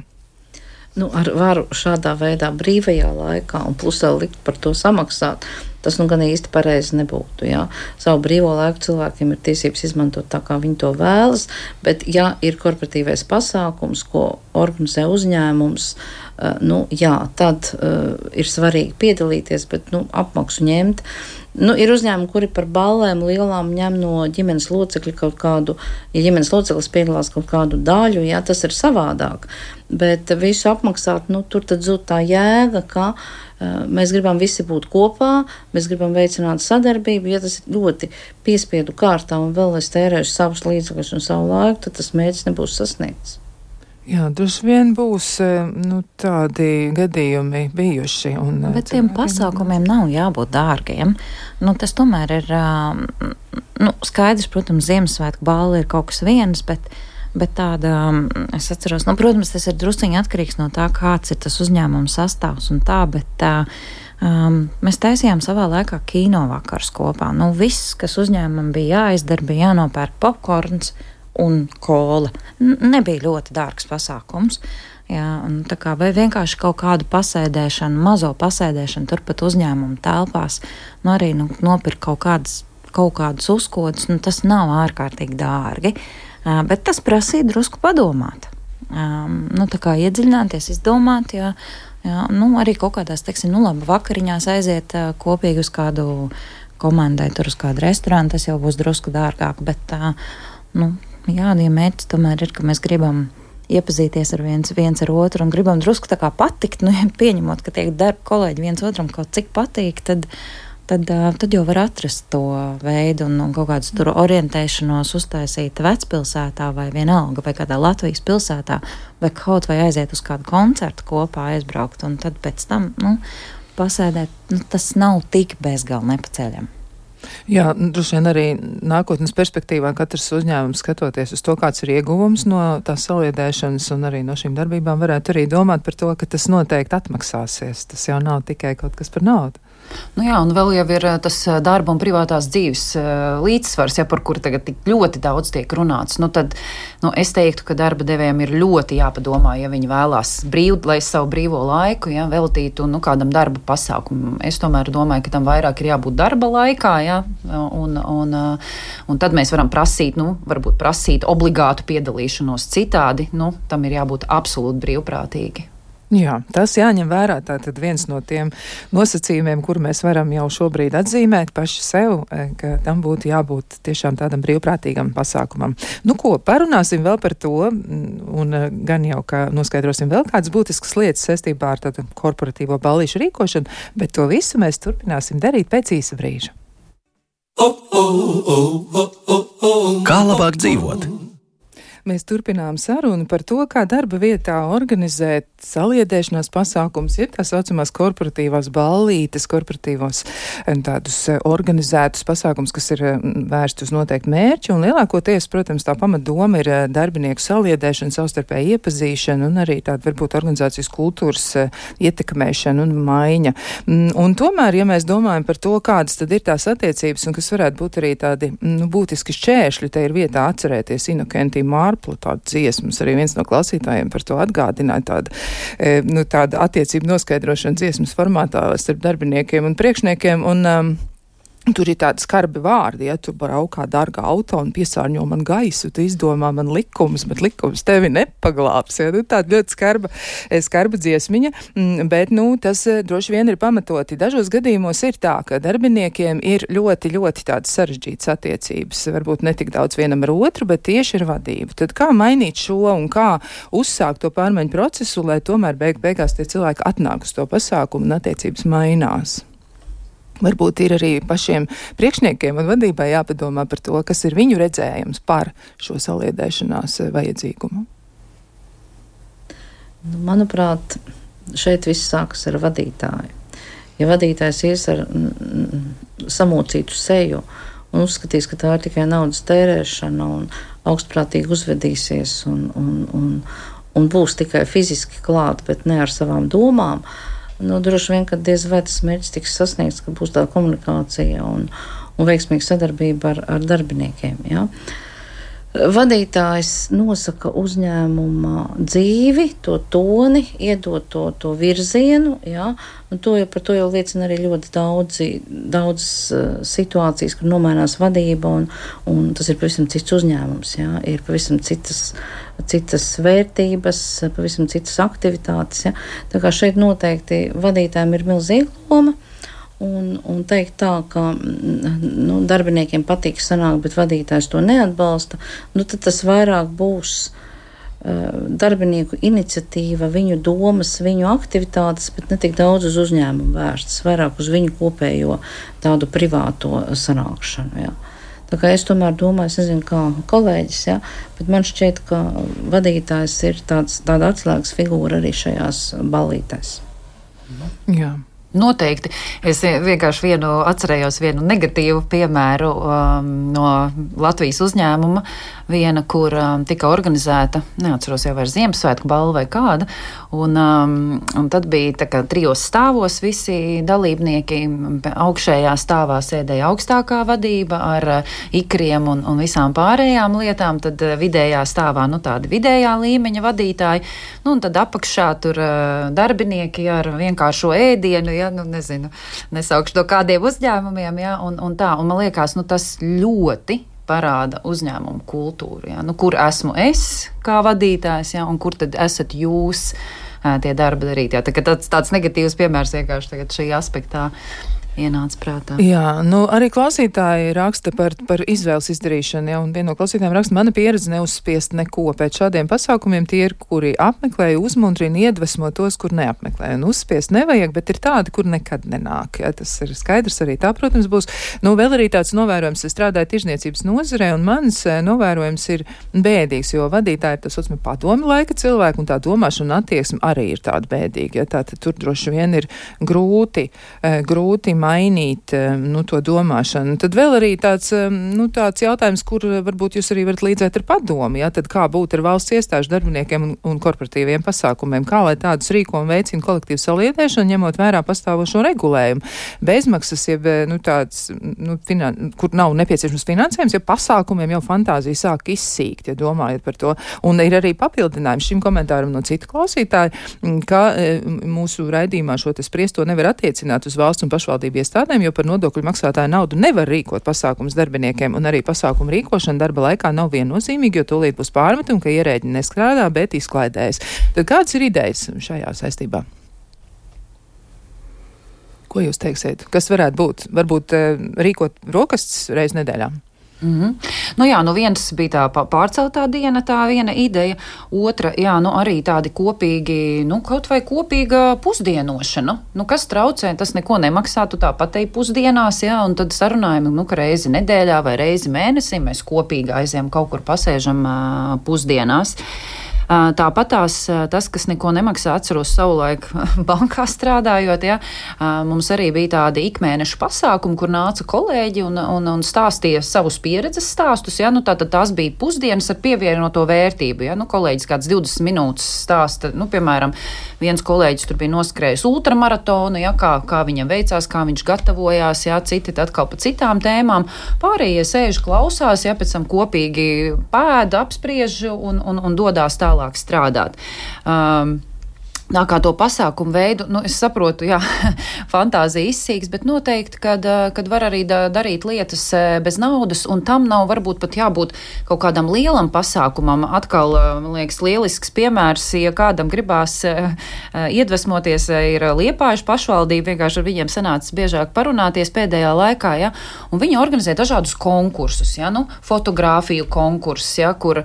Nu, ar varu šādā veidā brīvajā laikā un plus vēl likt par to samaksāt. tas nu gan īsti pareizi nebūtu. Jā. Savu brīvo laiku cilvēkiem ir tiesības izmantot tā, kā viņi to vēlas, bet ja ir korporatīvais pasākums, ko organizē uzņēmums, uh, nu jā, tad uh, ir svarīgi piedalīties, bet nu, apmaksu ņemt. Nu, ir uzņēmumi, kuri par ballēm lielām ņem no ģimenes locekļa kaut kādu, ja ģimenes loceklis piedalās kaut kādu daļu, jā, tas ir savādāk. Bet visu apmaksāt, nu, tur tad zūd tā jēga, ka uh, mēs gribam visi būt kopā, mēs gribam veicināt sadarbību, ja tas ir ļoti piespiedu kārtā un vēl es tērēšu savus līdzekļus un savu laiku, tad tas mērķis nebūs sasniegts. Jā, droši vien būs nu, tādi gadījumi bijuši. Un, Bet tiem pasākumiem nav jābūt dārgiem. Nu, tas tomēr ir nu, skaidrs, protams, Ziemassvētku balva ir kaut kas viens, bet, bet tāda, es atceros, nu, protams, tas ir drusciņi atkarīgs no tā, kāds ir tas uzņēmums sastāvs un tā, bet um, mēs taisījām savā laikā kino vakars kopā. Nu, viss, kas uzņēmumam bija jāizdara, bija jānopērk popkorns un kola. N- nebija ļoti dārgs pasākums. Jā, un tā kā vai vienkārši kaut kādu pasēdēšanu, mazo pasēdēšanu turpat uzņēmumu telpās, nu arī nu, nopirkt kaut kādas, kaut kādus uzkodus, nu tas nav ārkārtīgi dārgi, uh, bet tas prasīja drusku padomāt. Um, nu tā kā iedziļināties, izdomāt, jā, jā, nu arī kaut kādās, teiksim, nu labi, vakariņās aiziet uh, kopīgi uz kādu komandai, tur uz kādu restorānu, tas jau būs drusku dārgāk, bet uh, nu jā, ja mērķis tomēr ir, ka mēs gribam iepazīties ar viens, viens ar otru un gribam drusku tā kā patikt, nu, pieņemot, ka tiek darba kolēģi viens otram kaut cik patīk, tad, tad, tad jau var atrast to veidu un, un kaut kādus tur orientēšanos uztaisīt vecpilsētā vai vienalga, vai kādā Latvijas pilsētā, vai kaut vai aiziet uz kādu koncertu kopā aizbraukt, un tad pēc tam, nu, pasēdēt, nu, tas nav tik bezgalīgi nepaceļami. Jā, droši vien arī nākotnes perspektīvā katrs uzņēmums skatoties uz to, kāds ir ieguvums no tās saliedēšanas un arī no šīm darbībām, varētu arī domāt par to, ka tas noteikti atmaksāsies. Tas jau nav tikai kaut kas par naudu. Nu jā, un vēl jau ir tas darba un privātās dzīves līdzsvars, ja, par kuru tagad tik ļoti daudz tiek runāts. Nu tad, nu, es teiktu, ka darba devējiem ir ļoti jāpadomā, ja viņi vēlās brīv, lai savu brīvo laiku, ja, veltītu, nu, kādam darba pasākumam. Es tomēr domāju, ka tam vairāk ir jābūt darba laikā, ja, un, un, un tad mēs varam prasīt, nu, varbūt prasīt obligātu piedalīšanos citādi, nu, tam ir jābūt absolūti brīvprātīgi. Jā, tas jāņem vērā. Tātad viens no tiem nosacījumiem, kur mēs varam jau šobrīd atzīmēt paši sev, ka tam būtu jābūt tiešām tādam brīvprātīgam pasākumam. Nu ko, parunāsim vēl par to, un gan jau, ka noskaidrosim vēl kādas būtiskas lietas saistībā ar tādu korporatīvo ballīšu rīkošanu, bet to visu mēs turpināsim darīt pēc īsa brīža. Kā labāk dzīvot? Mēs turpinām sarunu par to, kā darba vietā organizēt saliedēšanās pasākums, ir tā saucamās korporatīvās ballītes, korporatīvos tādus organizētus pasākums, kas ir vērsti uz noteiktu mērķi, un lielākoties, protams, tā pamatdoma ir darbinieku saliedēšana, savstarpēja iepazīšana un arī tāda varbūt organizācijas kultūras ietekmēšana un maiņa. Un tomēr, ja mēs domājam par to, kādas tad ir tās attiecības un kas varētu būt arī tādi nu, būtiski šķēršļi, te ir vietā atcerēties Inokentī Mārplu, tādu dziesmas, arī viens no klausītājiem par to atgādināja, tāda, e, nu, tāda attiecību noskaidrošana dziesmas formātā starp darbiniekiem un priekšniekiem, un um, tur ir tādi skarbi vārdi, ja tu braukā dārga auto un piesārņo man gaisu, tu izdomā man likumus, bet likums tevi nepaglābs, ja, nu, tāda ļoti skarba, skarba dziesmiņa, bet, nu, tas droši vien ir pamatoti. Dažos gadījumos ir tā, ka darbiniekiem ir ļoti, ļoti tādas sarežģītas attiecības, varbūt ne tik daudz vienam ar otru, bet tieši ar vadību. Tad kā mainīt šo un kā uzsākt to pārmaiņu procesu, lai tomēr beig beigās tie cilvēki atnāk uz to pasākumu un attiecības mainās? Varbūt ir arī pašiem priekšniekiem un vadībai jāpadomā par to, kas ir viņu redzējums par šo saliedēšanās vajadzīgumu. Nu, manuprāt, šeit viss sākas ar vadītāju. Ja vadītājs ies ar mm, samocītu seju un uzskatīs, ka tā ir tikai naudas tērēšana un augstprātīgi uzvedīsies un, un, un, un būs tikai fiziski klāt, bet ne ar savām domām, nu, droši vien, ka diez vai tas mērķis tiks sasniegts, ka būs tā komunikācija un, un veiksmīga sadarbība ar, ar darbiniekiem. Ja? Vadītājs nosaka uzņēmuma dzīvi, to toni, iedod to, to virzienu, jā, un to jau, par to jau liecina arī ļoti daudzi, daudz uh, situācijas, kur nomainās vadība, un, un tas ir pavisam cits uzņēmums, jā, ir pavisam citas, citas vērtības, pavisam citas aktivitātes, jā. Tā kā šeit noteikti vadītājiem ir milzīga loma. Un, un teikt tā, ka nu, darbiniekiem patīk sanākt, bet vadītājs to neatbalsta, nu, tad tas vairāk būs uh, darbinieku iniciatīva, viņu domas, viņu aktivitātes, bet ne tik daudz uz uzņēmumu vērstas, vairāk uz viņu kopējo tādu privāto sanākšanu. Jā. Tā kā es tomēr domāju, es nezinu, kā kolēģis, jā, bet man šķiet, ka vadītājs ir tāds, tāda atslēgas figūra arī šajās ballītēs. Jā. Noteikti. Es vienkārši vienu atcerējos vienu negatīvu piemēru um, no Latvijas uzņēmuma, viena, kur um, tika organizēta, neatceros jau vairs Ziemassvētku balva vai kāda, un, um, un tad bija tā kā trijos stāvos visi dalībnieki, augšējā stāvā sēdēja augstākā vadība ar uh, ikriem un, un visām pārējām lietām, tad uh, vidējā stāvā, nu tādi vidējā līmeņa vadītāji, nu un tad apakšā tur uh, darbinieki ar vienkāršo ēdienu, ja, nu nezinu, nesaukšu to kādiem uzņēmumiem, ja, un, un tā, un man liekas, nu tas ļoti parāda uzņēmumu kultūru, ja, nu kur esmu es kā vadītājs, ja, un kur tad esat jūs tie darba darīt, ja, tā, tāds, tāds negatīvs piemērs vienkārši tagad šī aspektā ienāca prātā. Jā, nu arī klausītāji raksta par, par izvēles izdarīšanu, ja, un viena no klausītājiem raksta, mana pieredze neuzspiest neko. Pēc šādiem pasākumiem tie ir, kuri apmeklē, uzmundrina, iedvesmo tos, kur neapmeklē. Un uzspiest nevajag, bet ir tādi, kur nekad nenāk. Ja, tas ir skaidrs arī tā, protams, būs. Nu, vēl arī tāds novērojums, es strādāju tirzniecības nozarē, un mans novērojums ir bēdīgs, jo vadītāji ir tas otsmi padomi laika cilvēki, un tā domāšana un attieksme arī ir tāda bēdīga. Ja, tātad tur droši vien ir grūti, grūti mainīt nu, to domāšanu. Tad vēl arī tāds, nu, tāds jautājums, kur varbūt jūs arī varat līdzēt ar padomu, ja? Tad kā būt ar valsts iestāžu darbiniekiem un, un korporatīviem pasākumiem, kā lai tādus rīko un veicina kolektīvu saliedēšanu, ņemot vērā pastāvošo regulējumu. Bezmaksas, jeb, nu, tāds, nu, finan, kur nav nepieciešams finansējums, ja pasākumiem jau fantāzija sāk izsīkt, ja domājat par to. Un ir arī papildinājums šim komentāram no citu klausītāju, ka e, mūsu raidījumā šo te spriesto nevar attiecināt uz valsts un pašvaldību iestādēm, jo par nodokļu maksātāju naudu nevar rīkot pasākums darbiniekiem, un arī pasākumu rīkošana darba laikā nav viennozīmīga, jo tūlīt būs pārmetumi, ka ierēģi neskrādā, bet izklaidējas. Tad kādas ir idejas šajā saistībā? Ko jūs teiksiet? Kas varētu būt? Varbūt rīkot rokastes reiz nedēļā? Mm-hmm. Nu jā, nu viens bija tā pārceltā diena, tā viena ideja, otra, jā, nu arī tādi kopīgi, nu kaut vai kopīga pusdienošana, nu kas traucē, tas neko nemaksā, tu tāpat ej pusdienās, jā, un tad sarunājam, nu ka reizi nedēļā vai reizi mēnesī mēs kopīgi aizējam kaut kur pasēžam uh, pusdienās. Tāpat tās, tas, kas neko nemaksā, atceros savulaik bankā strādājot, ja, mums arī bija tādi ikmēnešu pasākumi, kur nāca kolēģi un, un, un stāstīja savus pieredzes stāstus, ja, nu tātad tās bija pusdienas ar pievienoto vērtību, ja, nu kolēģis kāds divdesmit minūtes stāsta, nu piemēram, viens kolēģis tur bija noskrējis ultramaratonu, ja, kā, kā viņam veicās, kā viņš gatavojās, ja, citi atkal pa citām tēmām, pārējie sēž klausās, ja, pēc tam kopīgi pēda, apspriež un, un, un dodās tā tālāk strādāt. Um, Tā kā to pasākumu veidu, nu, es saprotu, jā, fantāzija izsīks, bet noteikti, kad, kad var arī da, darīt lietas bez naudas, un tam nav varbūt pat jābūt kaut kādam lielam pasākumam. Atkal, man liekas, lielisks piemērs, ja kādam gribās iedvesmoties, ir Liepājuša pašvaldība, vienkārši ar viņiem sanācis biežāk parunāties pēdējā laikā, ja, un viņi organizē dažādus konkursus, ja, nu, fotogrāfiju konkursus, ja, kur,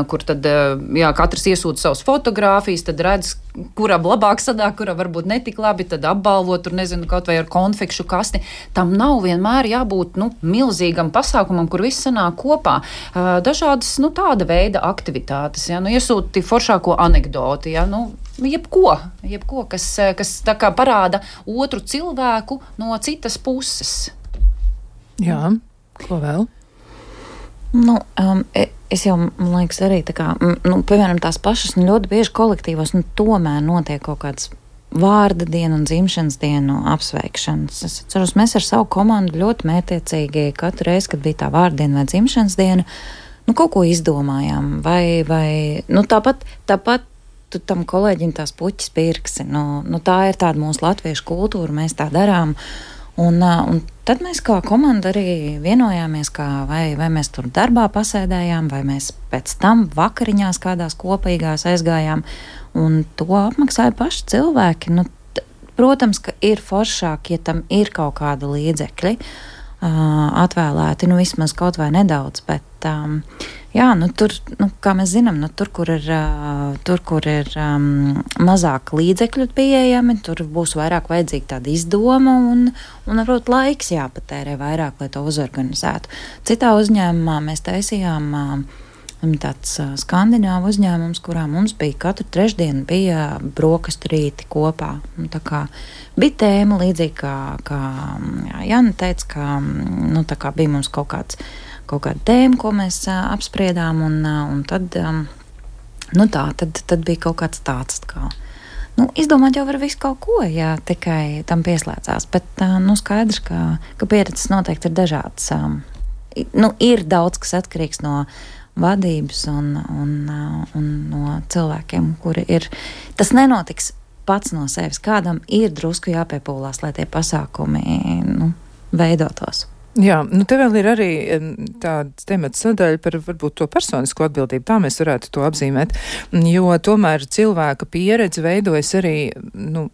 kur tad, jā, katrs iesūta savus fotogrāfijas, tad redz, kuram labāk sanāk, kuram varbūt netik labi, tad apbalvot, tur nezinu, kaut vai ar konfekšu kasti. Tam nav vienmēr jābūt, nu, milzīgam pasākumam, kur viss sanāk kopā. Dažādas, nu, tāda veida aktivitātes, ja, nu, iesūti foršāko anekdoti, ja, nu, jebko, jebko, kas, kas tā kā parāda otru cilvēku no citas puses. Jā, ko vēl? Nu, um, es jau, man liekas, arī tā kā, nu, piemēram, tās pašas, nu, ļoti bieži kolektīvos, nu, tomēr notiek kaut kāds vārda dienu un dzimšanas dienu apsveikšanas. Es atceros, mēs ar savu komandu ļoti mētiecīgi katru reizi, kad bija tā vārda diena vai dzimšanas diena, nu, kaut ko izdomājām, vai, vai nu, tāpat, tāpat tu tam kolēģim tās puķis pirksi. Nu, nu, tā ir tāda mūsu latviešu kultūra, mēs tā darām. Un, un tad mēs kā komanda arī vienojāmies, kā vai, vai mēs tur darbā pasēdējām, vai mēs pēc tam vakariņās kādās kopīgās aizgājām, un to apmaksāja paši cilvēki. Nu, t- protams, ka ir foršāk, ja tam ir kaut kāda līdzekļi uh, atvēlēti, nu vismaz kaut vai nedaudz, bet um, jā, nu tur, nu, kā mēs zinām, nu tur, kur ir, uh, tur, kur ir um, mazāk līdzekļu pieejami, tur būs vairāk vajadzīga tāda izdoma un, un varbūt laiks jāpatērē vairāk, lai to uzorganizētu. Citā uzņēmumā mēs taisījām uh, tāds uh, skandināvu uzņēmums, kurā mums bija katru trešdienu bija brokastu rīti kopā. Un tā kā bija tēma līdzīgi, kā, kā jā, Jana teica, ka nu, tā kā bija mums kaut kāds kaut kāda tēma, ko mēs uh, apspriedām, un, uh, un tad, um, nu tā, tad, tad bija kaut kāds tāds, kā, nu, izdomāt jau var visu kaut ko, ja tikai tam pieslēdzās, bet, uh, nu, skaidrs, ka, ka pieredzes noteikti ir dažādas. Um, nu, ir daudz, kas atkarīgs no vadības un, un, uh, un no cilvēkiem, kuri ir, tas nenotiks pats no sevis, kādam ir drusku jāpiepūlās, lai tie pasākumi, nu, veidotos. Jā, nu te vēl ir arī tāds temats sadaļa par varbūt to personisko atbildību, tā mēs varētu to apzīmēt, jo tomēr cilvēka pieredze veidojas arī, nu,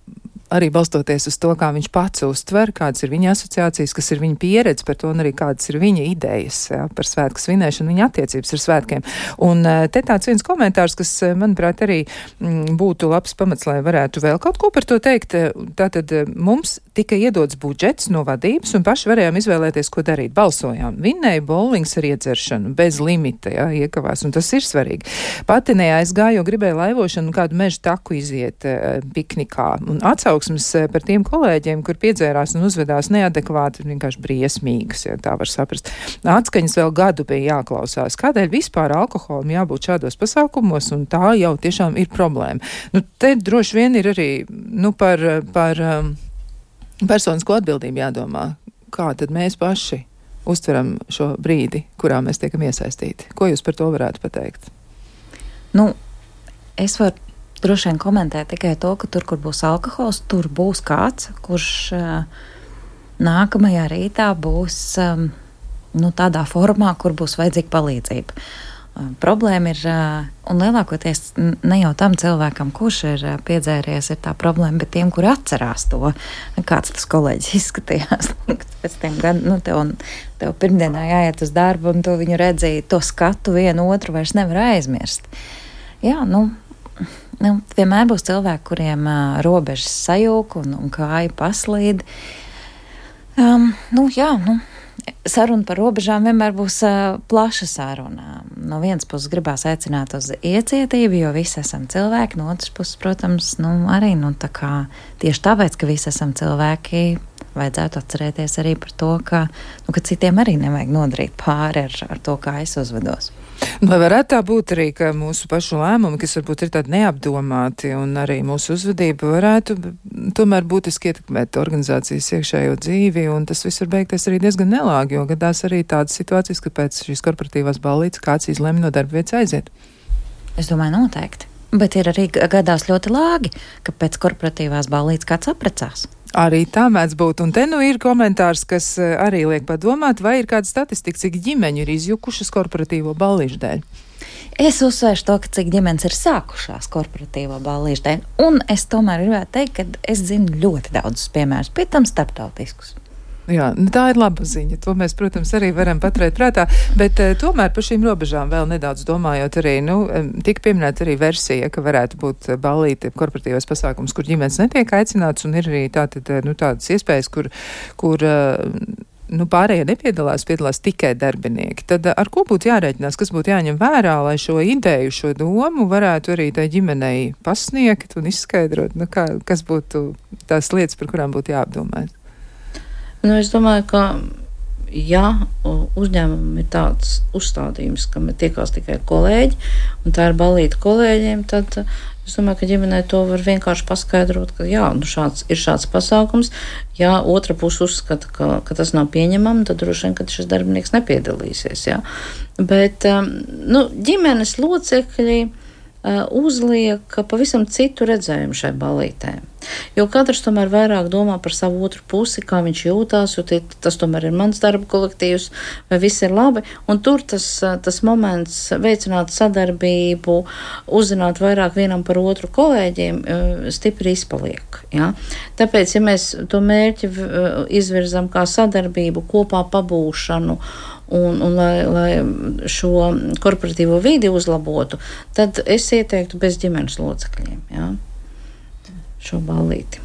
arī balstoties uz to, kā viņš pats uztver, kādas ir viņa asociācijas, kas ir viņa pieredze par to un arī kādas ir viņa idejas, jā, par svētku svinēšanu, viņa attiecības ar svētkiem. Un te tāds viens komentārs, kas, manuprāt, arī m, būtu labs pamats, lai varētu vēl kaut ko par to teikt. Tātad mums tika iedots budžets no vadības un paši varējām izvēlēties, ko darīt. Balsojām. Vinnēja bowlings ar iedzeršanu, bez limita, jā, iekavās, un tas ir svarīgi. Pati neaizgāju, jo gribēju laivošanu un kādu mežu taku iziet uh, piknikā. Un atsauksmes par tiem kolēģiem, kur piedzērās un uzvedās neadekvāti, vienkārši briesmīgas, ja tā var saprast. Atskaņas vēl gadu bija jāklausās. Kādēļ vispār alkoholam jābūt šādos pasākumos, un tā jau tiešām ir problēma. Nu, te droši vien ir arī, nu, par, par um, personisko atbildību jādomā. Kā tad mēs paši uztveram šo brīdi, kurā mēs tiekam iesaistīti? Ko jūs par to varētu pateikt? Nu, es varu droši vien komentēt tikai to, ka tur, kur būs alkohols, tur būs kāds, kurš uh, nākamajā rītā būs um, nu, tādā formā, kur būs vajadzīga palīdzība. Uh, problēma ir, uh, un lielākoties ne jau tam cilvēkam, kurš ir uh, piedzēries, ir tā problēma, bet tiem, kuri atcerās to, kāds tas kolēģis izskatījās. Pēc tiem gadiem, nu, tev, tev pirmdienā jāiet uz darbu, un tu viņu redzēji, to skatu vienu otru vairs nevar aizmirst. Jā, nu, nu vienmēr būs cilvēki, kuriem uh, robežas sajūg un, un kāja paslīd. Um, nu, jā, nu. Saruna par robežām vienmēr būs uh, plaša saruna. No vienas puses gribās aicināt uz iecietību, jo visi esam cilvēki, no otras puses, protams, nu, arī nu, tā kā, tieši tāpēc, ka visi esam cilvēki, vajadzētu atcerēties arī par to, ka, nu, ka citiem arī nevajag nodarīt pāri ar, ar to, kā es uzvedos. Vai varētu tā būt arī, ka mūsu pašu lēmumi, kas varbūt ir tādi neapdomāti, un arī mūsu uzvedība varētu tomēr būtiski ietekmēt organizācijas iekšējo dzīvi, un tas viss var beigties arī diezgan nelāgi, jo gadās arī tādas situācijas, ka pēc šīs korporatīvās ballītes kāds izlemj no darba vietas aiziet. Es domāju, noteikti. Bet ir arī gadās ļoti lāgi, ka pēc korporatīvās ballītes kāds apprecās. Arī tā mēdz būt, un te nu ir komentārs, kas arī liek padomāt, vai ir kāda statistika, cik ģimeņu ir izjukušas korporatīvo ballīšu dēļ. Es uzsvēršu to, ka cik ģimenes ir sākušās korporatīvo ballīšu dēļ, un es tomēr gribētu teikt, ka es zinu ļoti daudzus piemērus, pie tam starptautiskus. Jā, tā ir laba ziņa. To mēs, protams, arī varam paturēt prātā, bet uh, tomēr par šīm robežām vēl nedaudz domājot arī, nu, tika pieminēta arī versija, ka varētu būt ballīte korporatīvais pasākums, kur ģimenes netiek aicināts, un ir arī tātad, nu, tādas iespējas, kur, kur uh, nu, pārējie nepiedalās, piedalās tikai darbinieki. Tad ar ko būtu jārēķinās, kas būtu jāņem vērā, lai šo ideju, šo domu varētu arī tai ģimenei pasniegt un izskaidrot, nu, kā, kas būtu tās lietas, par kurām būtu jāapdomāt? Nu, es domāju, ka ja uzņēmumam ir tāds uzstādījums, ka tiekās tikai kolēģi, un tā ir ballīte kolēģiem, tad es domāju, ka ģimenei to var vienkārši paskaidrot, ka jā, nu šāds, ir šāds pasākums. Ja otra puse uzskata, ka, ka tas nav pieņemami, tad droši vien, ka šis darbinieks nepiedalīsies. Jā. Bet nu, ģimenes locekļi uzliek pavisam citu redzējumu šai ballītē. Jo katrs tomēr vairāk domā par savu otru pusi, kā viņš jūtās, jo tie, tas tomēr ir mans darba kolektīvs, vai viss ir labi. Un tur tas, tas moments veicināt sadarbību, uzzināt vairāk vienam par otru kolēģiem, stipri izpaliek. Ja? Tāpēc, ja mēs to mērķi izvirzam kā sadarbību, kopā pabūšanu, Un, un lai, lai šo korporatīvo vidi uzlabotu, tad es ieteiktu bez ģimenes locekļiem, jā, šo ballīti.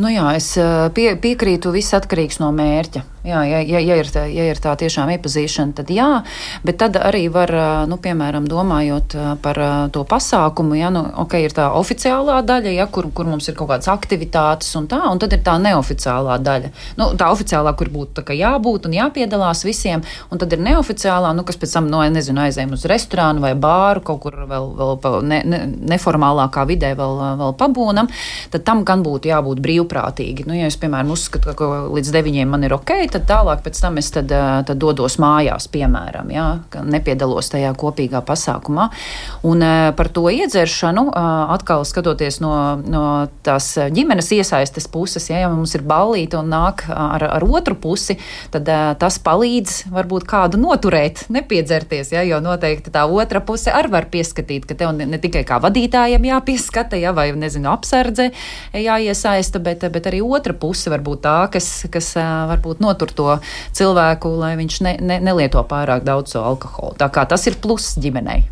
Nu jā, es pie, piekrītu, viss atkarīgs no mērķa. Jā, ja, ja, ja, ir tā, ja ir tā tiešām iepazīšana, tad jā, bet tad arī var, nu, piemēram, domājot par to pasākumu, ja, nu, ok, ir tā oficiālā daļa, ja, kur, kur mums ir kaut kādas aktivitātes un tā, un tad ir tā neoficiālā daļa. Nu, tā oficiālā, kur būtu tā kā jābūt un jāpiedalās visiem, un tad ir neoficiālā, nu, kas pēc tam, no, nezinu, aizējam uz restorānu vai bāru, kaut kur vēl, vēl ne, ne, neformālākā vidē vēl, vēl pabūnam, tad tam gan būtu jābūt brīvprātīgi. Nu, ja es, piemēram, uzskatu, ka līdz deviņiem man ir ok, tad tālāk pēc tam es tad, tad dodos mājās, piemēram, ja, ka nepiedalos tajā kopīgā pasākumā. Un par to iedzeršanu, atkal skatoties no, no tās ģimenes iesaistes puses, ja, ja mums ir ballīte un nāk ar, ar otru pusi, tad tas palīdz varbūt kādu noturēt, nepiedzerties, ja, jo noteikti tā otra puse arī var pieskatīt, ka tev ne, ne tikai kā vadītājiem jāpieskata, ja, vai, nezinu, apsardze jāiesaista, bet, bet arī otra puse varbūt tā, kas, kas varbūt noturēt to cilvēku, lai viņš ne, ne, nelieto pārāk daudz alkoholu. Tā kā tas ir pluss ģimenei.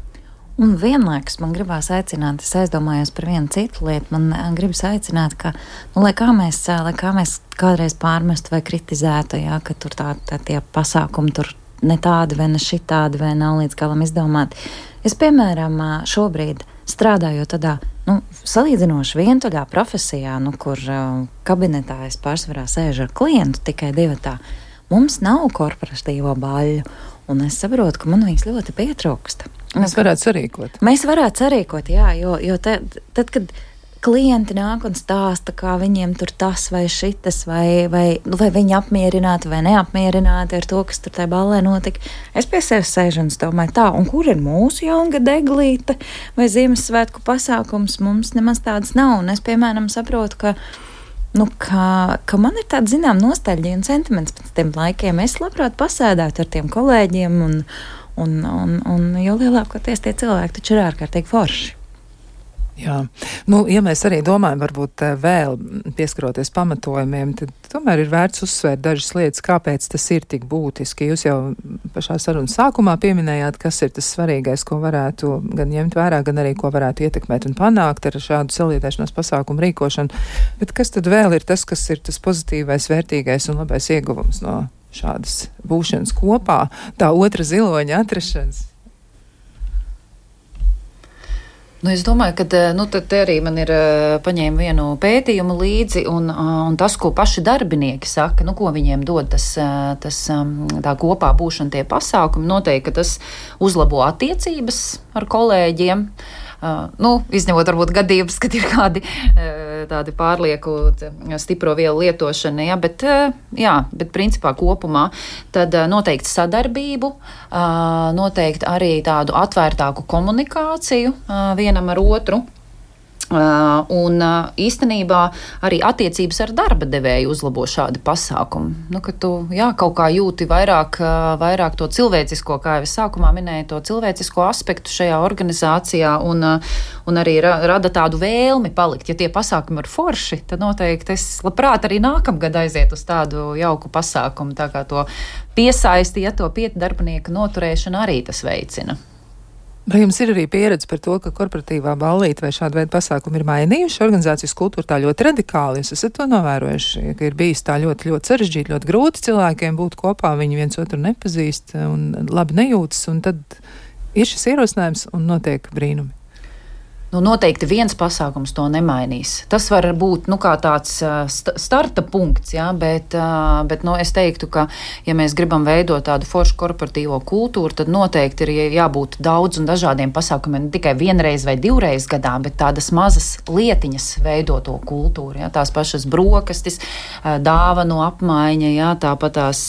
Un vienlaikus man gribās aicināt, es aizdomājos par vienu citu lietu, man gribas aicināt, ka, nu, lai kā mēs, lai kā mēs kādreiz pārmestu vai kritizētu, jā, ka tur tā, tā tie pasākumi tur ne tādi vai ne šitādi vai nav līdz galam izdomāti. Es, piemēram, šobrīd strādājot tādā, nu, salīdzinoši vientuļā profesijā, nu, kur uh, kabinetā es pārsvarā sēžu ar klientu tikai divatā, mums nav korporatīvo baļu, un es saprotu, ka man viņas ļoti pietrūkst. Mēs varētu sarīkot. Mēs varētu sarīkot, jā, jo, jo te, tad, kad klienti nāk un stāsta, kā viņiem tur tas vai šitas, vai, vai, vai viņi apmierināti vai neapmierināti ar to, kas tur tajā ballē notika. Es pie sevis sēžu un domāju tā, un kur ir mūsu jaungada eglīte vai Ziemassvētku pasākums, mums nemaz tādas nav. Un es, piemēram, saprotu, ka, nu, ka, ka man ir tāda, zinām, nostalģija un sentiments pēc tiem laikiem. Es labprāt pasēdētu ar tiem kolēģiem, un, un, un, un jo lielākoties tie cilvēki taču ir ārkārtīgi forši. Jā, nu, ja mēs arī domājam, varbūt vēl pieskaroties pamatojumiem, tad tomēr ir vērts uzsvērt dažas lietas, kāpēc tas ir tik būtiski. Jūs jau pašā sarunas sākumā pieminējāt, kas ir tas svarīgais, ko varētu gan ņemt vērā, gan arī ko varētu ietekmēt un panākt ar šādu saliedēšanās pasākumu rīkošanu. Bet kas tad vēl ir tas, kas ir tas pozitīvais, vērtīgais un labais ieguvums no šādas būšanas kopā, tā otra ziloņa atrašanas? Nu, es domāju, ka nu, te arī man ir paņēma vienu pētījumu līdzi, un, un tas, ko paši darbinieki saka, nu, ko viņiem dod tas, tas tā kopā būšana tie pasākumi, noteikti, ka tas uzlabo attiecības ar kolēģiem. Uh, nu, izņemot varbūt gadījumus, kad ir kādi uh, tādi pārlieku stipro vielu lietošana, ja, bet, uh, jā, bet principā kopumā tad uh, noteikti sadarbību, uh, noteikti arī tādu atvērtāku komunikāciju uh, vienam ar otru. Uh, un uh, īstenībā arī attiecības ar darba devēju uzlabo šādi pasākumi. Nu, ka tu, jā, kaut kā jūti vairāk, uh, vairāk to cilvēcisko, kā jau es sākumā minēju, to cilvēcisko aspektu šajā organizācijā un, uh, un arī ra- rada tādu vēlmi palikt. Ja tie pasākumi ir forši, tad noteikti es labprāt arī nākamgad aiziet uz tādu jauku pasākumu, tā kā to piesaisti, ja to piet darbinieka noturēšana arī tas veicina. Vai jums ir arī pieredze par to, ka korporatīvā ballīte vai šāda veida pasākumi ir mainījuši organizācijas kultūru tā ļoti radikāli? Jūs esat to novērojuši, ka ir bijis tā ļoti, ļoti sarežģīti, ļoti grūti cilvēkiem būt kopā, viņi viens otru nepazīst un labi nejūtas, un tad ir šis ierosinājums un notiek brīnumi. Nu, noteikti viens pasākums to nemainīs. Tas var būt nu, kā tāds st- starta punkts, ja, bet, bet nu, es teiktu, ka, ja mēs gribam veidot tādu foršu korporatīvo kultūru, tad noteikti ir jābūt daudz un dažādiem pasākumiem, ne tikai vienreiz vai divreiz gadā, bet tādas mazas lietiņas veido to kultūru. Ja, tās pašas brokastis, dāvanu apmaiņa, ja, tāpat tās,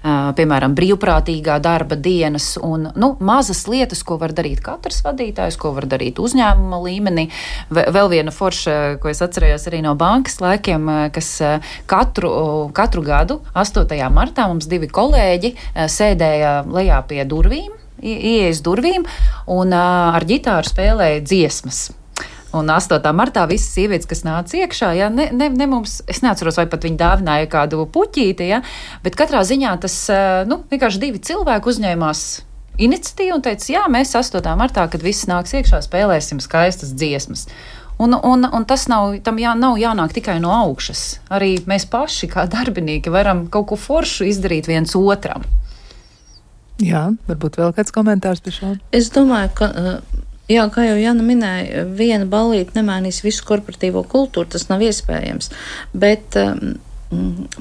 piemēram, brīvprātīgā darba dienas un nu, mazas lietas, ko var darīt katrs vadītājs, ko var darīt uzņēmuma līmenī. Vēl viena forša, ko es atcerējos arī no bankas laikiem, kas katru, katru gadu, astotajā martā, mums divi kolēģi sēdēja lejā pie durvīm, ieejas durvīm, un ar ģitāru spēlēja dziesmas. Un astotā martā visas sievietes, kas nāca iekšā, ja, ne, ne, ne mums, es neatceros, vai pat viņi dāvināja kādu puķīti, ja, bet katrā ziņā tas, nu, vienkārši divi cilvēki uzņēmās iniciatīvu un teica, jā, mēs astotā martā, kad viss nāks iekšā, spēlēsim skaistas dziesmas. Un, un, un tas nav, tam jā, nav jānāk tikai no augšas. Arī mēs paši, kā darbinieki, varam kaut ko foršu izdarīt viens otram. Jā, varbūt vēl kāds komentārs par šo? Es domāju, ka, jā, kā jau Jana minēja, viena ballīte nemainīs visu korporatīvo kultūru, tas nav iespējams. Bet um,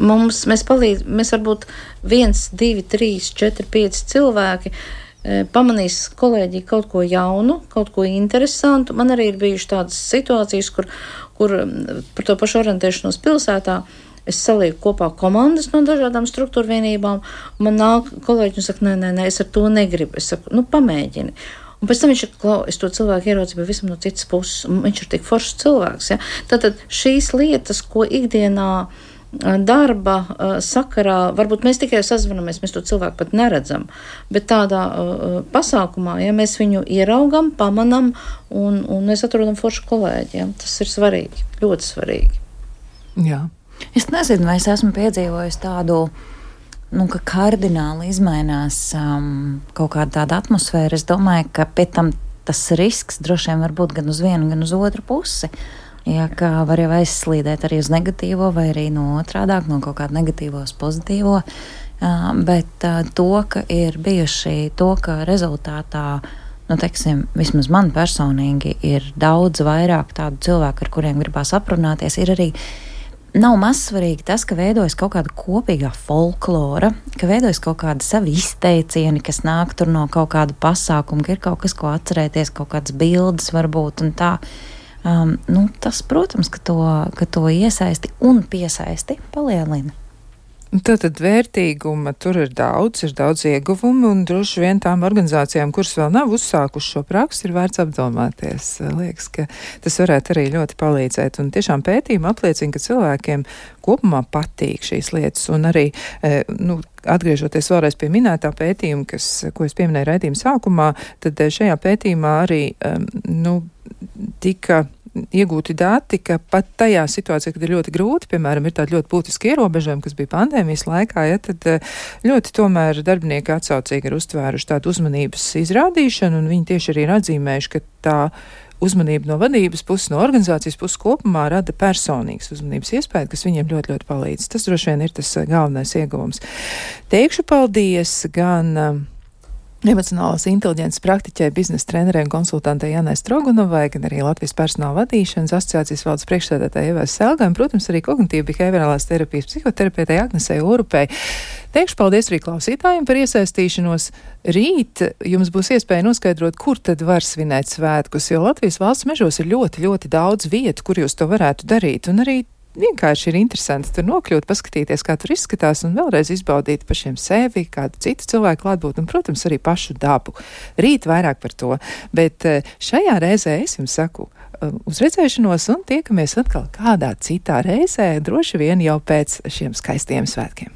mums, mēs palīdz, mēs varbūt viens, divi, trīs, četri, pieci cilvēki pamanīs kolēģi kaut ko jaunu, kaut ko interesantu. Man arī ir bijuši tādas situācijas, kur, kur par to pašu orientēšanos pilsētā es salieku kopā komandas no dažādām struktūra vienībām, un man nāk kolēģi un saka, nē, nē, nē, es ar to negribu. Es saku, nu, pamēģini. Un pēc tam viņš ir, klau, es to cilvēku ieraucu pavisam no citas puses, un viņš ir tik foršs cilvēks. Ja? Tātad šīs lietas, ko ikdienā darba uh, sakarā, varbūt mēs tikai sazvanamies, mēs to cilvēku pat neredzam, bet tādā uh, pasākumā, ja mēs viņu ieraugam, pamanam un, un mēs atrodam foršu kolēģi, ja, tas ir svarīgi, ļoti svarīgi. Jā. Es nezinu, vai es esmu piedzīvojis tādu, nu, ka kardināli izmainās um, kaut kāda tāda atmosfēra. Es domāju, ka pēc tam tas risks droši vien var būt gan uz vienu, gan uz otru pusi. Ja, kā var jau aizslīdēt arī uz negatīvo, vai arī no otrādāk, no kaut kāda negatīvo uz pozitīvo, uh, bet uh, to, ka ir bijuši to, ka rezultātā, nu, teiksim, vismaz man personīgi ir daudz vairāk tādu cilvēku, ar kuriem gribās aprunāties, ir arī nav mazsvarīgi tas, ka veidojas kaut kāda kopīgā folklora, ka veidojas kaut kāda savi izteicieni, kas nāk tur no kaut kāda pasākuma, ka ir kaut kas, ko atcerēties, kaut kādas bildes varbūt un tā. Um, nu, tas, protams, ka to, ka to iesaisti un piesaisti palielina. Tātad vērtīguma tur ir daudz, ir daudz ieguvumu, un droši vien tām organizācijām, kuras vēl nav uzsākuši šo praksi, ir vērts apdomāties. Liekas, ka tas varētu arī ļoti palīdzēt. Un tiešām pētījumi apliecina, ka cilvēkiem kopumā patīk šīs lietas, un arī, nu, atgriežoties vēlreiz pie minētā pētījuma, kas, ko es pieminēju raidījuma sākumā, tad šajā pētījumā arī, nu, tika iegūti dati, ka pat tajā situācijā, kad ir ļoti grūti, piemēram, ir tādi ļoti būtiski ierobežojumi, kas bija pandēmijas laikā, ja, tad ļoti tomēr darbinieki atsaucīgi ir uztvēruši tādu uzmanības izrādīšanu, un viņi tieši arī ir atzīmējuši, ka tā uzmanība no vadības puses, no organizācijas puses kopumā rada personīgas uzmanības iespēju, kas viņiem ļoti, ļoti palīdz. Tas droši vien ir tas galvenais ieguvums. Teikšu paldies gan emocionālās inteliģences praktiķei, biznesa trenerei un konsultantei Janai Strogunovai, gan arī Latvijas personāla vadīšanas asociācijas valdes priekšsēdētājai Evai Selgai, un, protams, arī kognitīva behaviorālās terapijas psihoterapeitei Agnesei Urupei. Teikšu paldies arī klausītājiem par iesaistīšanos. Rīt jums būs iespēja noskaidrot, kur tad var svinēt svētkus, jo Latvijas valsts mežos ir ļoti, ļoti daudz vietu, kur jūs to varētu darīt, un arī vienkārši ir interesanti tur nokļūt, paskatīties, kā tur izskatās, un vēlreiz izbaudīt pašiem sevi, kādu citu cilvēku klātbūt, un, protams, arī pašu dabu. Rīt vairāk par to, bet šajā reizē es jums saku uz redzēšanos, un tiekamies atkal kādā citā reizē, droši vien jau pēc šiem skaistiem svētkiem.